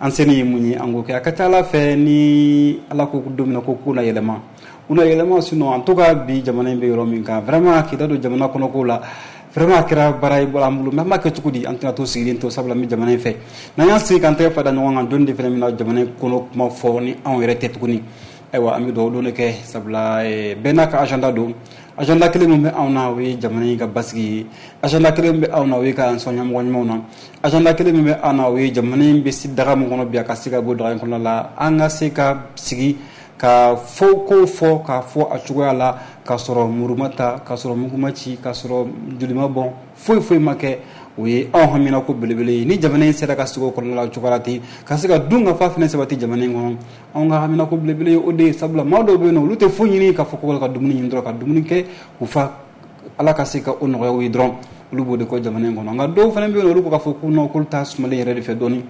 S2: an seni ye mun ye an k'o kɛ a ka ca Ala fɛ ni Ala ko don min na ko ko na yɛlɛma u na yɛlɛma sinon en tout cas bi jamana in bɛ yɔrɔ min kan vraiment k'i da don jamana kɔnɔ ko la vraiment a kɛra baara ye an bolo mais an b'a kɛ cogo di an tɛna to sigilen to sabula an bɛ jamana in fɛ n'an y'an sigi k'an tɛgɛ fila da ɲɔgɔn kan don de fana bɛna jamana in kɔnɔ kuma fɔ ni anw yɛrɛ tɛ tuguni. Ayiwa an bɛ dugawu don de kɛ sabula bɛɛ n'a ka agenda don agenda kelen min bɛ anw na o ye jamana in ka basigi ye agenda kelen min bɛ anw na o ye k'an sɔn ɲɛmɔgɔ ɲumanw na agenda kelen min bɛ anw na o ye jamana in bɛ daga min kɔnɔ bi a ka se ka bɔ daga in kɔnɔ la an ka se ka sigi ka fɔ ko fɔ k'a fɔ a cogoya la k'a sɔrɔ muru ma ta k'a sɔrɔ mugu ma ci k'a sɔrɔ joli ma bɔn foyi foyi ma kɛ o ye anw hamina ko belebele ye ni jamana in sera ka sigi o kɔnɔna la cogoya la ten ka se ka dun ka fa fɛnɛ sabati jamana in kɔnɔ anw ka hamina ko belebele ye o de ye sabula maa dɔw bɛ yen nɔ olu tɛ foyi ɲini k'a fɔ ko ka dumuni ɲini dɔrɔn ka dumuni kɛ k'u fa Ala ka se ka o nɔgɔya u ye dɔrɔn olu b'o de kɔ jamana in kɔnɔ nka dɔw fana bɛ yen nɔ olu ko k'a fɔ ko non k'olu t'a sumalen yɛrɛ de fɛ dɔɔni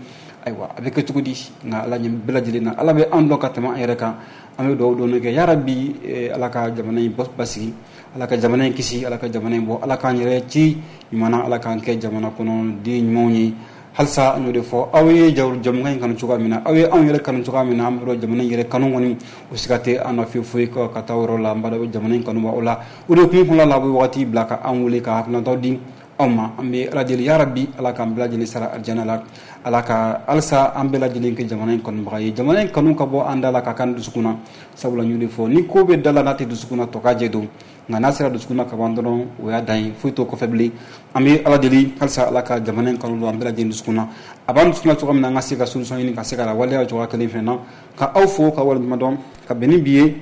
S2: ayiwa a bɛ kɛ cogo di nka Ala ɲɛ bɛɛ lajɛlen na Ala bɛ anw dɔn ka tɛmɛ an yɛrɛ kan an bɛ dugawu dɔɔni kɛ yarabi Ala ka jamana in basigi Ala ka jamana in kisi Ala ka jamana in bɔ Ala k'an yɛrɛ ci ɲuman na Ala k'an kɛ jamana kɔnɔ den ɲumanw ye halisa an y'o de fɔ aw ye jamukan in kanu cogoya min na aw ye anw yɛrɛ kanu cogoya min na an bɛ jamana in yɛrɛ kanu kɔni o siga tɛ an na fiyewu foyi ka taa o yɔrɔ la an b'a dɔn jamana in kanu b'aw la o de kun kɔnɔna la a bɛ wagati bila ka an wele ka hakilinataw di aw ma an bɛ Ala deli yarabi Ala k'an bɛɛ lajɛlen sara alijana la Ala ka halisa an bɛɛ lajɛlen kɛ jamana in kanubaga ye jamana in kanu ka bɔ an da la ka k'an dusukun na sabula n y'o de fɔ ni ko bɛ da la n'a tɛ dusukun na tɔ ka jɛ don nka n'a sera dusukun na ka ban dɔrɔn o y'a dan ye foyi t'o kɔfɛ bilen an bɛ Ala deli halisa Ala ka jamana in kanu don an bɛɛ lajɛlen dusukun na a b'an dusukun na cogo min na an ka se ka solution ɲini ka se ka waleya cogoya kelen fɛnɛ na ka aw fo ka waleɲuman dɔn ka bɛn ni bi ye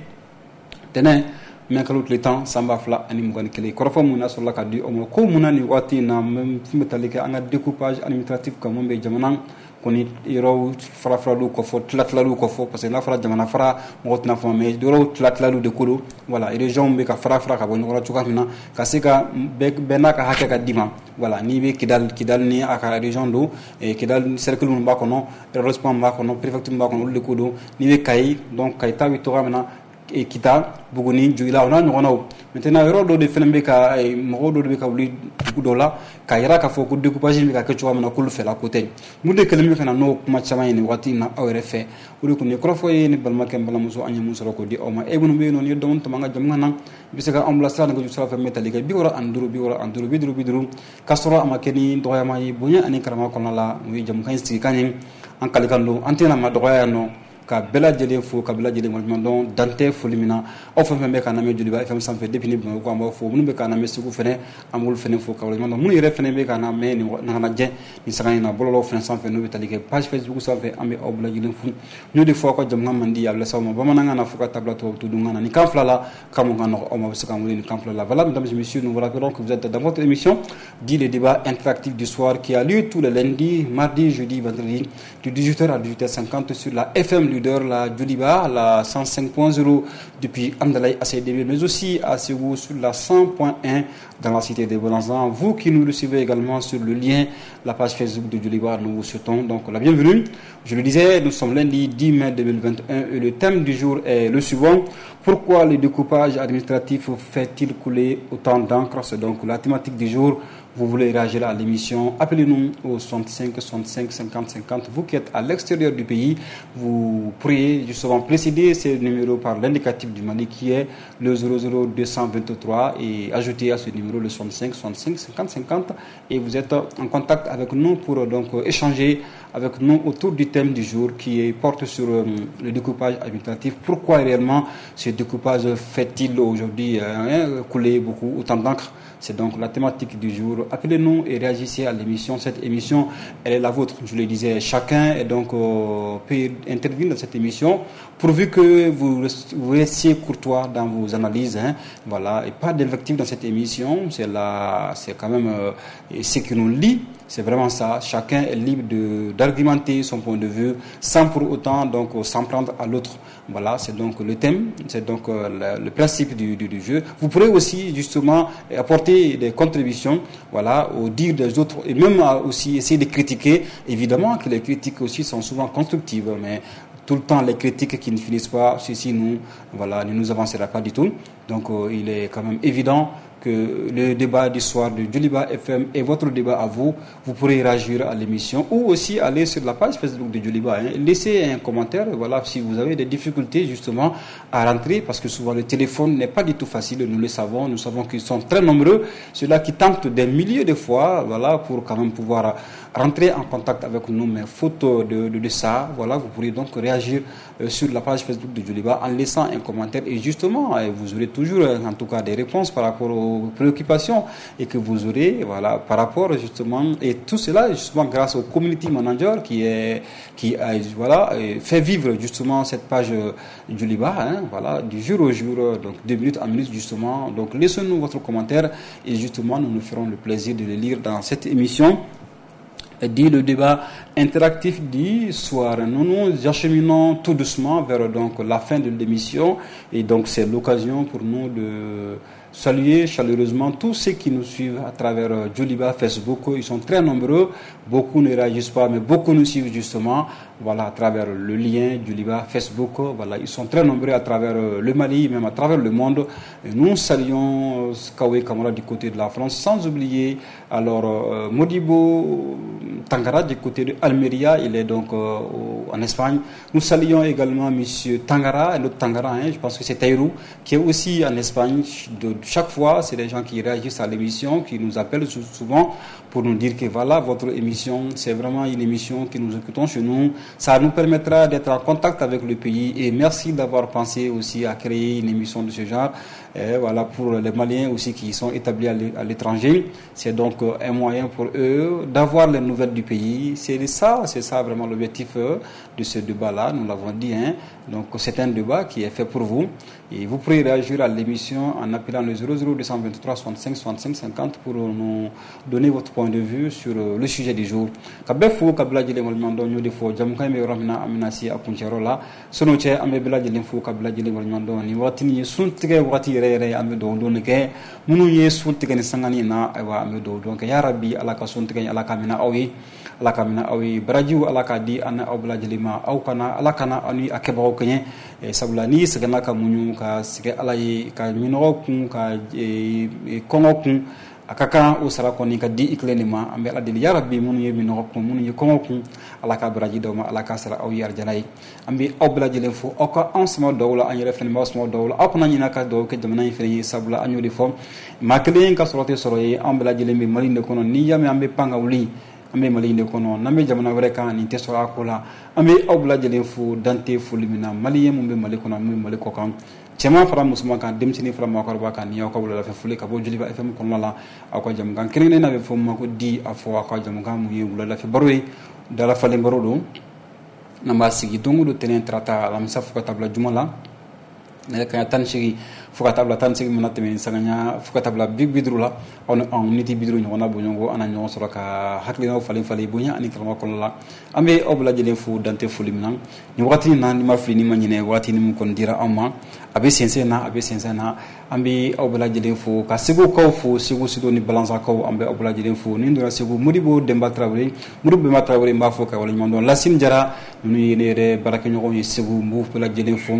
S2: tɛnɛn mɛ kalo tile tan san ba fila ani mugan ni kelen kɔrɔfɔ mun na sɔrɔla ka di aw ma ko mun na nin waati in na fɛn bɛ tali kɛ an ka découpage administratif kan mun bɛ jamana kɔni yɔrɔw fara faraliw kɔfɔ tila tilaliw kɔfɔ parce que n'a fɔra jamana fara mɔgɔ tɛna faamu mais yɔrɔw tila tilaliw de ko don voilà région bɛ ka fara fara ka bɔ ɲɔgɔn na cogoya min na ka se ka bɛɛ n'a ka hakɛ ka d'i ma voilà n'i bɛ Kidal Kidal ni a ka région don Kidal cercle minnu b'a kɔnɔ arrondissement b'a kɔnɔ préfecture b'a kɔnɔ olu de ko don n'i bɛ Kayi donc Kayi ta bɛ cogoya min na Kita Buguni Joyila o n'a ɲɔgɔnnaw maintenant yɔrɔ dɔ de fana bɛ ka mɔgɔw dɔ de bɛ ka wuli dugu dɔ la k'a yira k'a fɔ ko découpage bɛ ka kɛ cogoya min na k'olu fɛla ko tɛ mun de kɛlen bɛ ka na n'o kuma caman ye nin waati in na aw yɛrɛ fɛ o de kun ye kɔrɔfɔ ye ni balimakɛ n balimamuso an ye mun sɔrɔ k'o di aw ma e minnu bɛ yen nɔ n'i ye dɔɔnin tɔmɔ an ka jamu na i bɛ se ka anw bilasira nɛgɛjuru sira fɛ min bɛ tali kɛ bi wɔɔrɔ ani duuru bi wɔɔrɔ ani duuru bi duuru bi duuru k'a sɔrɔ a ma kɛ ni dɔgɔyama ye bonya ani karama kɔnɔna la o ye jamukan in sigikan ye an kalikan don an tɛna ma dɔgɔya yan nɔ ka bɛɛ lajɛlen fo ka bɛɛ lajɛlen waleɲuman dɔn dan tɛ foli min na aw fɛn fɛn bɛ k'an lamɛn Joliba F M sanfɛ depuis ni Bamakɔ an b'aw fo minnu bɛ k'an lamɛn Segu fɛnɛ an b'olu fɛnɛ fo ka waleɲuman dɔn minnu yɛrɛ fɛnɛ bɛ k'an lamɛn nin ɲɛnajɛ nin saga in na bɔlɔlɔw fɛnɛ sanfɛ n'o bɛ tali kɛ page Facebook sanfɛ an bɛ aw bɛɛ lajɛlen fo n y'o de fɔ aw ka jamukan man di a bɛ lase aw ma bamanankan na fo ka tabila tubabu tudunkan na nin kan fila la kan mun ka nɔgɔ aw ma a bɛ se k'an wele nin kan fila la. Voilà, mesdames et messieurs, nous vous rappelons que vous êtes dans votre émission dit le débat interactif du soir qui a lieu tous les lundis, mardi, jeudi, vendredi de dix-huit heures à dix-huit heures cinquante sur la F M leader, la Djoliba, la cent cinq point zéro depuis Hamdallaye A C D B, mais aussi à Ségou sur la cent point un dans la cité des Bolanzans. Vous qui nous recevez également sur le lien, la page Facebook de Djoliba, nous vous souhaitons donc la bienvenue. Je le disais, nous sommes lundi dix mai deux mille vingt et un et le thème du jour est le suivant. Pourquoi le découpage administratif fait-il couler autant d'encre? C'est donc la thématique du jour. Vous voulez réagir à l'émission, appelez-nous au soixante-cinq soixante-cinq cinquante cinquante. Vous qui êtes à l'extérieur du pays, vous pourriez justement précéder ces numéros par l'indicatif du Mali qui est le zéro zéro deux cent vingt-trois et ajouter à ce numéro le soixante-cinq soixante-cinq cinquante cinquante et vous êtes en contact avec nous pour donc échanger avec nous autour du thème du jour qui porte sur le découpage administratif. Pourquoi réellement ce découpage fait-il aujourd'hui hein, couler beaucoup autant d'encre? C'est donc la thématique du jour. Appelez-nous et réagissez à l'émission. Cette émission, elle est la vôtre. Je le disais, chacun est donc euh, peut intervenir dans cette émission, pourvu que vous, vous restiez courtois dans vos analyses. Hein, voilà, et pas d'invective dans cette émission. C'est la, c'est quand même euh, ce qui nous lie. C'est vraiment ça. Chacun est libre de, d'argumenter son point de vue sans pour autant donc s'en prendre à l'autre. Voilà, c'est donc le thème, c'est donc euh, le, le principe du, du, du jeu. Vous pourrez aussi justement apporter des contributions, voilà, au dire des autres et même aussi essayer de critiquer. Évidemment que les critiques aussi sont souvent constructives, mais tout le temps les critiques qui ne finissent pas, ceci nous, voilà, ne nous avancera pas du tout. Donc euh, il est quand même évident que le débat du soir de Djoliba F M est votre débat à vous. Vous pourrez réagir à l'émission ou aussi aller sur la page Facebook de Djoliba, hein. Laissez un commentaire, voilà, si vous avez des difficultés justement à rentrer, parce que souvent le téléphone n'est pas du tout facile, nous le savons, nous savons qu'ils sont très nombreux, ceux-là qui tentent des milliers de fois, voilà, pour quand même pouvoir rentrer en contact avec nous, mais faute de, de, de ça, voilà, vous pourrez donc réagir sur la page Facebook de Djoliba en laissant un commentaire et justement, vous aurez toujours en tout cas des réponses par rapport aux préoccupations et que vous aurez, voilà, par rapport justement, et tout cela justement grâce au community manager qui est, qui a, voilà, fait vivre justement cette page Djoliba, hein, voilà, du jour au jour, donc de minute en minute justement. Donc laissez-nous votre commentaire et justement nous nous ferons le plaisir de le lire dans cette émission. Dit le débat interactif du soir. Nous nous acheminons tout doucement vers donc la fin de l'émission et donc c'est l'occasion pour nous de saluer chaleureusement tous ceux qui nous suivent à travers Djoliba, Facebook. Ils sont très nombreux, beaucoup ne réagissent pas, mais beaucoup nous suivent justement, voilà, à travers le lien Djoliba, Facebook. Voilà, ils sont très nombreux à travers le Mali, même à travers le monde. Et nous saluons Kawe Kamara du côté de la France, sans oublier alors euh, Modibo Tangara du côté de Almeria, il est donc euh, en Espagne. Nous saluons également Monsieur Tangara, l'autre Tangara, hein, je pense que c'est Taïrou, qui est aussi en Espagne. De, chaque fois, c'est des gens qui réagissent à l'émission, qui nous appellent souvent pour nous dire que voilà, votre émission, c'est vraiment une émission que nous écoutons chez nous. Ça nous permettra d'être en contact avec le pays et merci d'avoir pensé aussi à créer une émission de ce genre. Et voilà, pour les Maliens aussi qui sont établis à l'étranger, c'est donc un moyen pour eux d'avoir les nouvelles du pays. C'est ça, c'est ça vraiment l'objectif de ce débat-là, nous l'avons dit, hein. Donc c'est un débat qui est fait pour vous et vous pourrez réagir à l'émission en appelant le zéro zéro deux cent vingt-trois soixante-cinq soixante-cinq cinquante pour nous donner votre point de vue sur le sujet du jour. Ka bɛɛ fo ka bɛɛ lajɛlen waleɲuman dɔn, n y'o de fɔ jamukan in bɛ yɔrɔ min na an bɛna se a kuncɛyɔrɔ la. Sɔn'o cɛ an bɛ bɛɛ lajɛlen fo ka bɛɛ lajɛlen waleɲuman dɔn. Nin waati nin ye sun tigɛ waati yɛrɛ yɛrɛ, an bɛ dugawu don de kɛ minnu ye sun tigɛ ni sangani in na, ayiwa an bɛ dugawu don kɛ yarabi Ala ka sun tigɛ in Ala ka minɛ aw ye, Ala ka minɛ aw ye, barajiw Ala k'a di an aw bɛɛ lajɛlen ma, aw kana Ala kana aw ni a kɛbagaw kɛɲɛ, sabula n'i sɛgɛnna ka muɲu ka sɛgɛn Ala ye, ka minɔgɔ kun ka kɔngɔ kun, a ka kan o sara kɔni ka di i kelen de ma. An bɛ Ala deli yarabi minnu ye minɔgɔ kun, minnu ye kɔngɔ kun, Ala ka baraji d'aw ma, Ala ka sara aw ye arijana ye. An bɛ aw bɛɛ lajɛlen fo, aw ka anw sama dɔw la, an yɛrɛ fɛnɛ b'aw sama dɔw la. Aw kana ɲinɛ ka dugawu kɛ jamana in fɛnɛ ye, sabula an y'o de fɔ, maa kelen ka sɔrɔ tɛ sɔrɔ ye, anw bɛɛ lajɛlen bɛ Mali in de kɔnɔ. N'i y'a mɛn an bɛ pan ka wuli, an bɛ Mali in de kɔnɔ, n'an bɛ jamana wɛrɛ kan nin tɛ sɔrɔ a ko la. An bɛ aw bɛɛ lajɛlen fo dante foli min na, maliyɛn mun bɛ Mali kɔnɔ, mun bɛ Mali kɔ kan, cɛman fara musoman kan, denmisɛnnin fara maakɔrɔba kan, ni aw ka wuladafɛ foli ka bɔ Djoliba F M kɔnɔna la, aw ka jamukan kelen-kelen n'a bɛ fɔ ma ko di a fɔ aw ka jamukan mun ye wuladafɛ baro ye, dalafalen baro don. N'an b'a sigi don o don tɛnɛn tarata alamisa fo ka taa bila juma la nɛgɛ kanɲɛ tan ni seegin fo ka taa bila tan ni seegin mana tɛmɛ sanga fo ka taa bila bi bi duuru la, aw ni anw ni ti bi duuru ɲɔgɔnna bɔɲɔgɔnko an na ɲɔgɔn sɔrɔ ka hakilinaw falen falen bonya ani karama kɔnɔna la. An bɛ aw bɛɛ lajɛlen fo dante foli min na nin wagati in na, ni ma fili ni ma ɲinɛ, wagati ni mun kɔni dira anw ma, a bɛ sɛnsɛn na, a bɛ sɛnsɛn na. An bɛ aw bɛɛ lajɛlen fo ka Segukaw fo, Segu Sido ni Balansakaw, an bɛ aw bɛɛ lajɛlen fo. Ni donna Segu, Modibo Denba Tarawele, Modibo Denba Tarawele, n b'a fɔ ka waleɲuman dɔn. Lasine Jara, ninnu ye ne yɛrɛ baarakɛɲɔgɔnw ye Segu, n b'u bɛɛ lajɛlen fo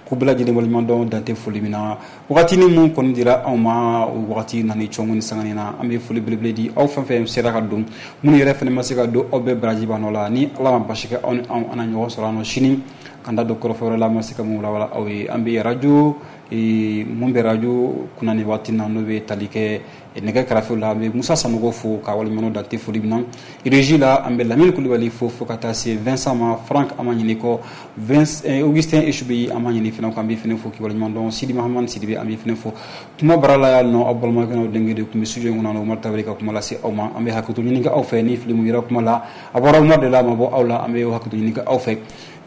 S2: k'u bɛɛ lajɛlen waleɲuman dɔn dante foli min na. Wagati ni mun kɔni dira anw ma, o wagati nana cɔngɔ ni sangani na. An bɛ foli belebele di aw fɛn fɛn sera ka don, minnu yɛrɛ fɛnɛ ma se ka don, aw bɛɛ baraji b'an nɔ la. Ni Ala ma basi kɛ, aw ni anw an na ɲɔgɔn sɔrɔ an nɔ sini kan da don kɔrɔfɔ wɛrɛ la, an ma se ka mun walawala aw ye. An bɛ radio mun bɛ radio kunna nin waati na, n'o bɛ tali kɛ nɛgɛ kɛrɛfɛw la, an bɛ Musa Sanogo fo ka waleɲuman dante foli min na. Régie la, an bɛ Lamine Kulibali fo fo ka taa se Vincent ma, Franck an ma ɲini kɔ, Augustin Esubeyi an ma ɲini fana kɔ, an bɛ fana fo k'i waleɲuman dɔn. Sidi Mahamani Sidibe, an bɛ fana fo. Kuma baara la yan nɔ, aw balimakɛ n'aw denkɛ de tun bɛ studio in kɔnɔ, Umaru Tarawele ka kuma lase aw ma. An bɛ hakɛto ɲini kɛ aw fɛ ni fili mun yera kuma la, a bɔra Umaru de la, a ma bɔ aw la, an bɛ hakɛto ɲini kɛ aw fɛ.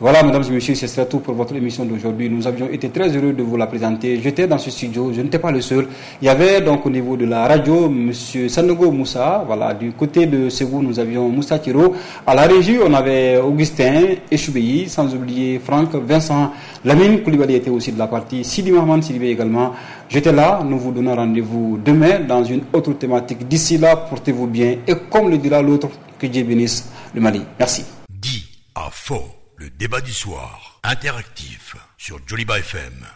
S2: Voilà, mesdames et messieurs, c'est tout pour votre émission d'aujourd'hui. Nous avions été très heureux de vous la présenter. J'étais dans ce studio, je n'étais pas le seul. Il y avait donc au niveau de la radio, monsieur Sanogo Moussa. Voilà, du côté de Ségou, nous avions Moussa Thiro. À la régie, on avait Augustin Echoubeyi, sans oublier Franck, Vincent, Lamine Koulibaly était aussi de la partie, Sidi Mahamane Sidibé également. J'étais là, nous vous donnons rendez-vous demain dans une autre thématique. D'ici là, portez-vous bien et comme le dira l'autre, que Dieu bénisse le Mali. Merci.
S1: Dit à faux. Le débat du soir, interactif sur Joliba F M.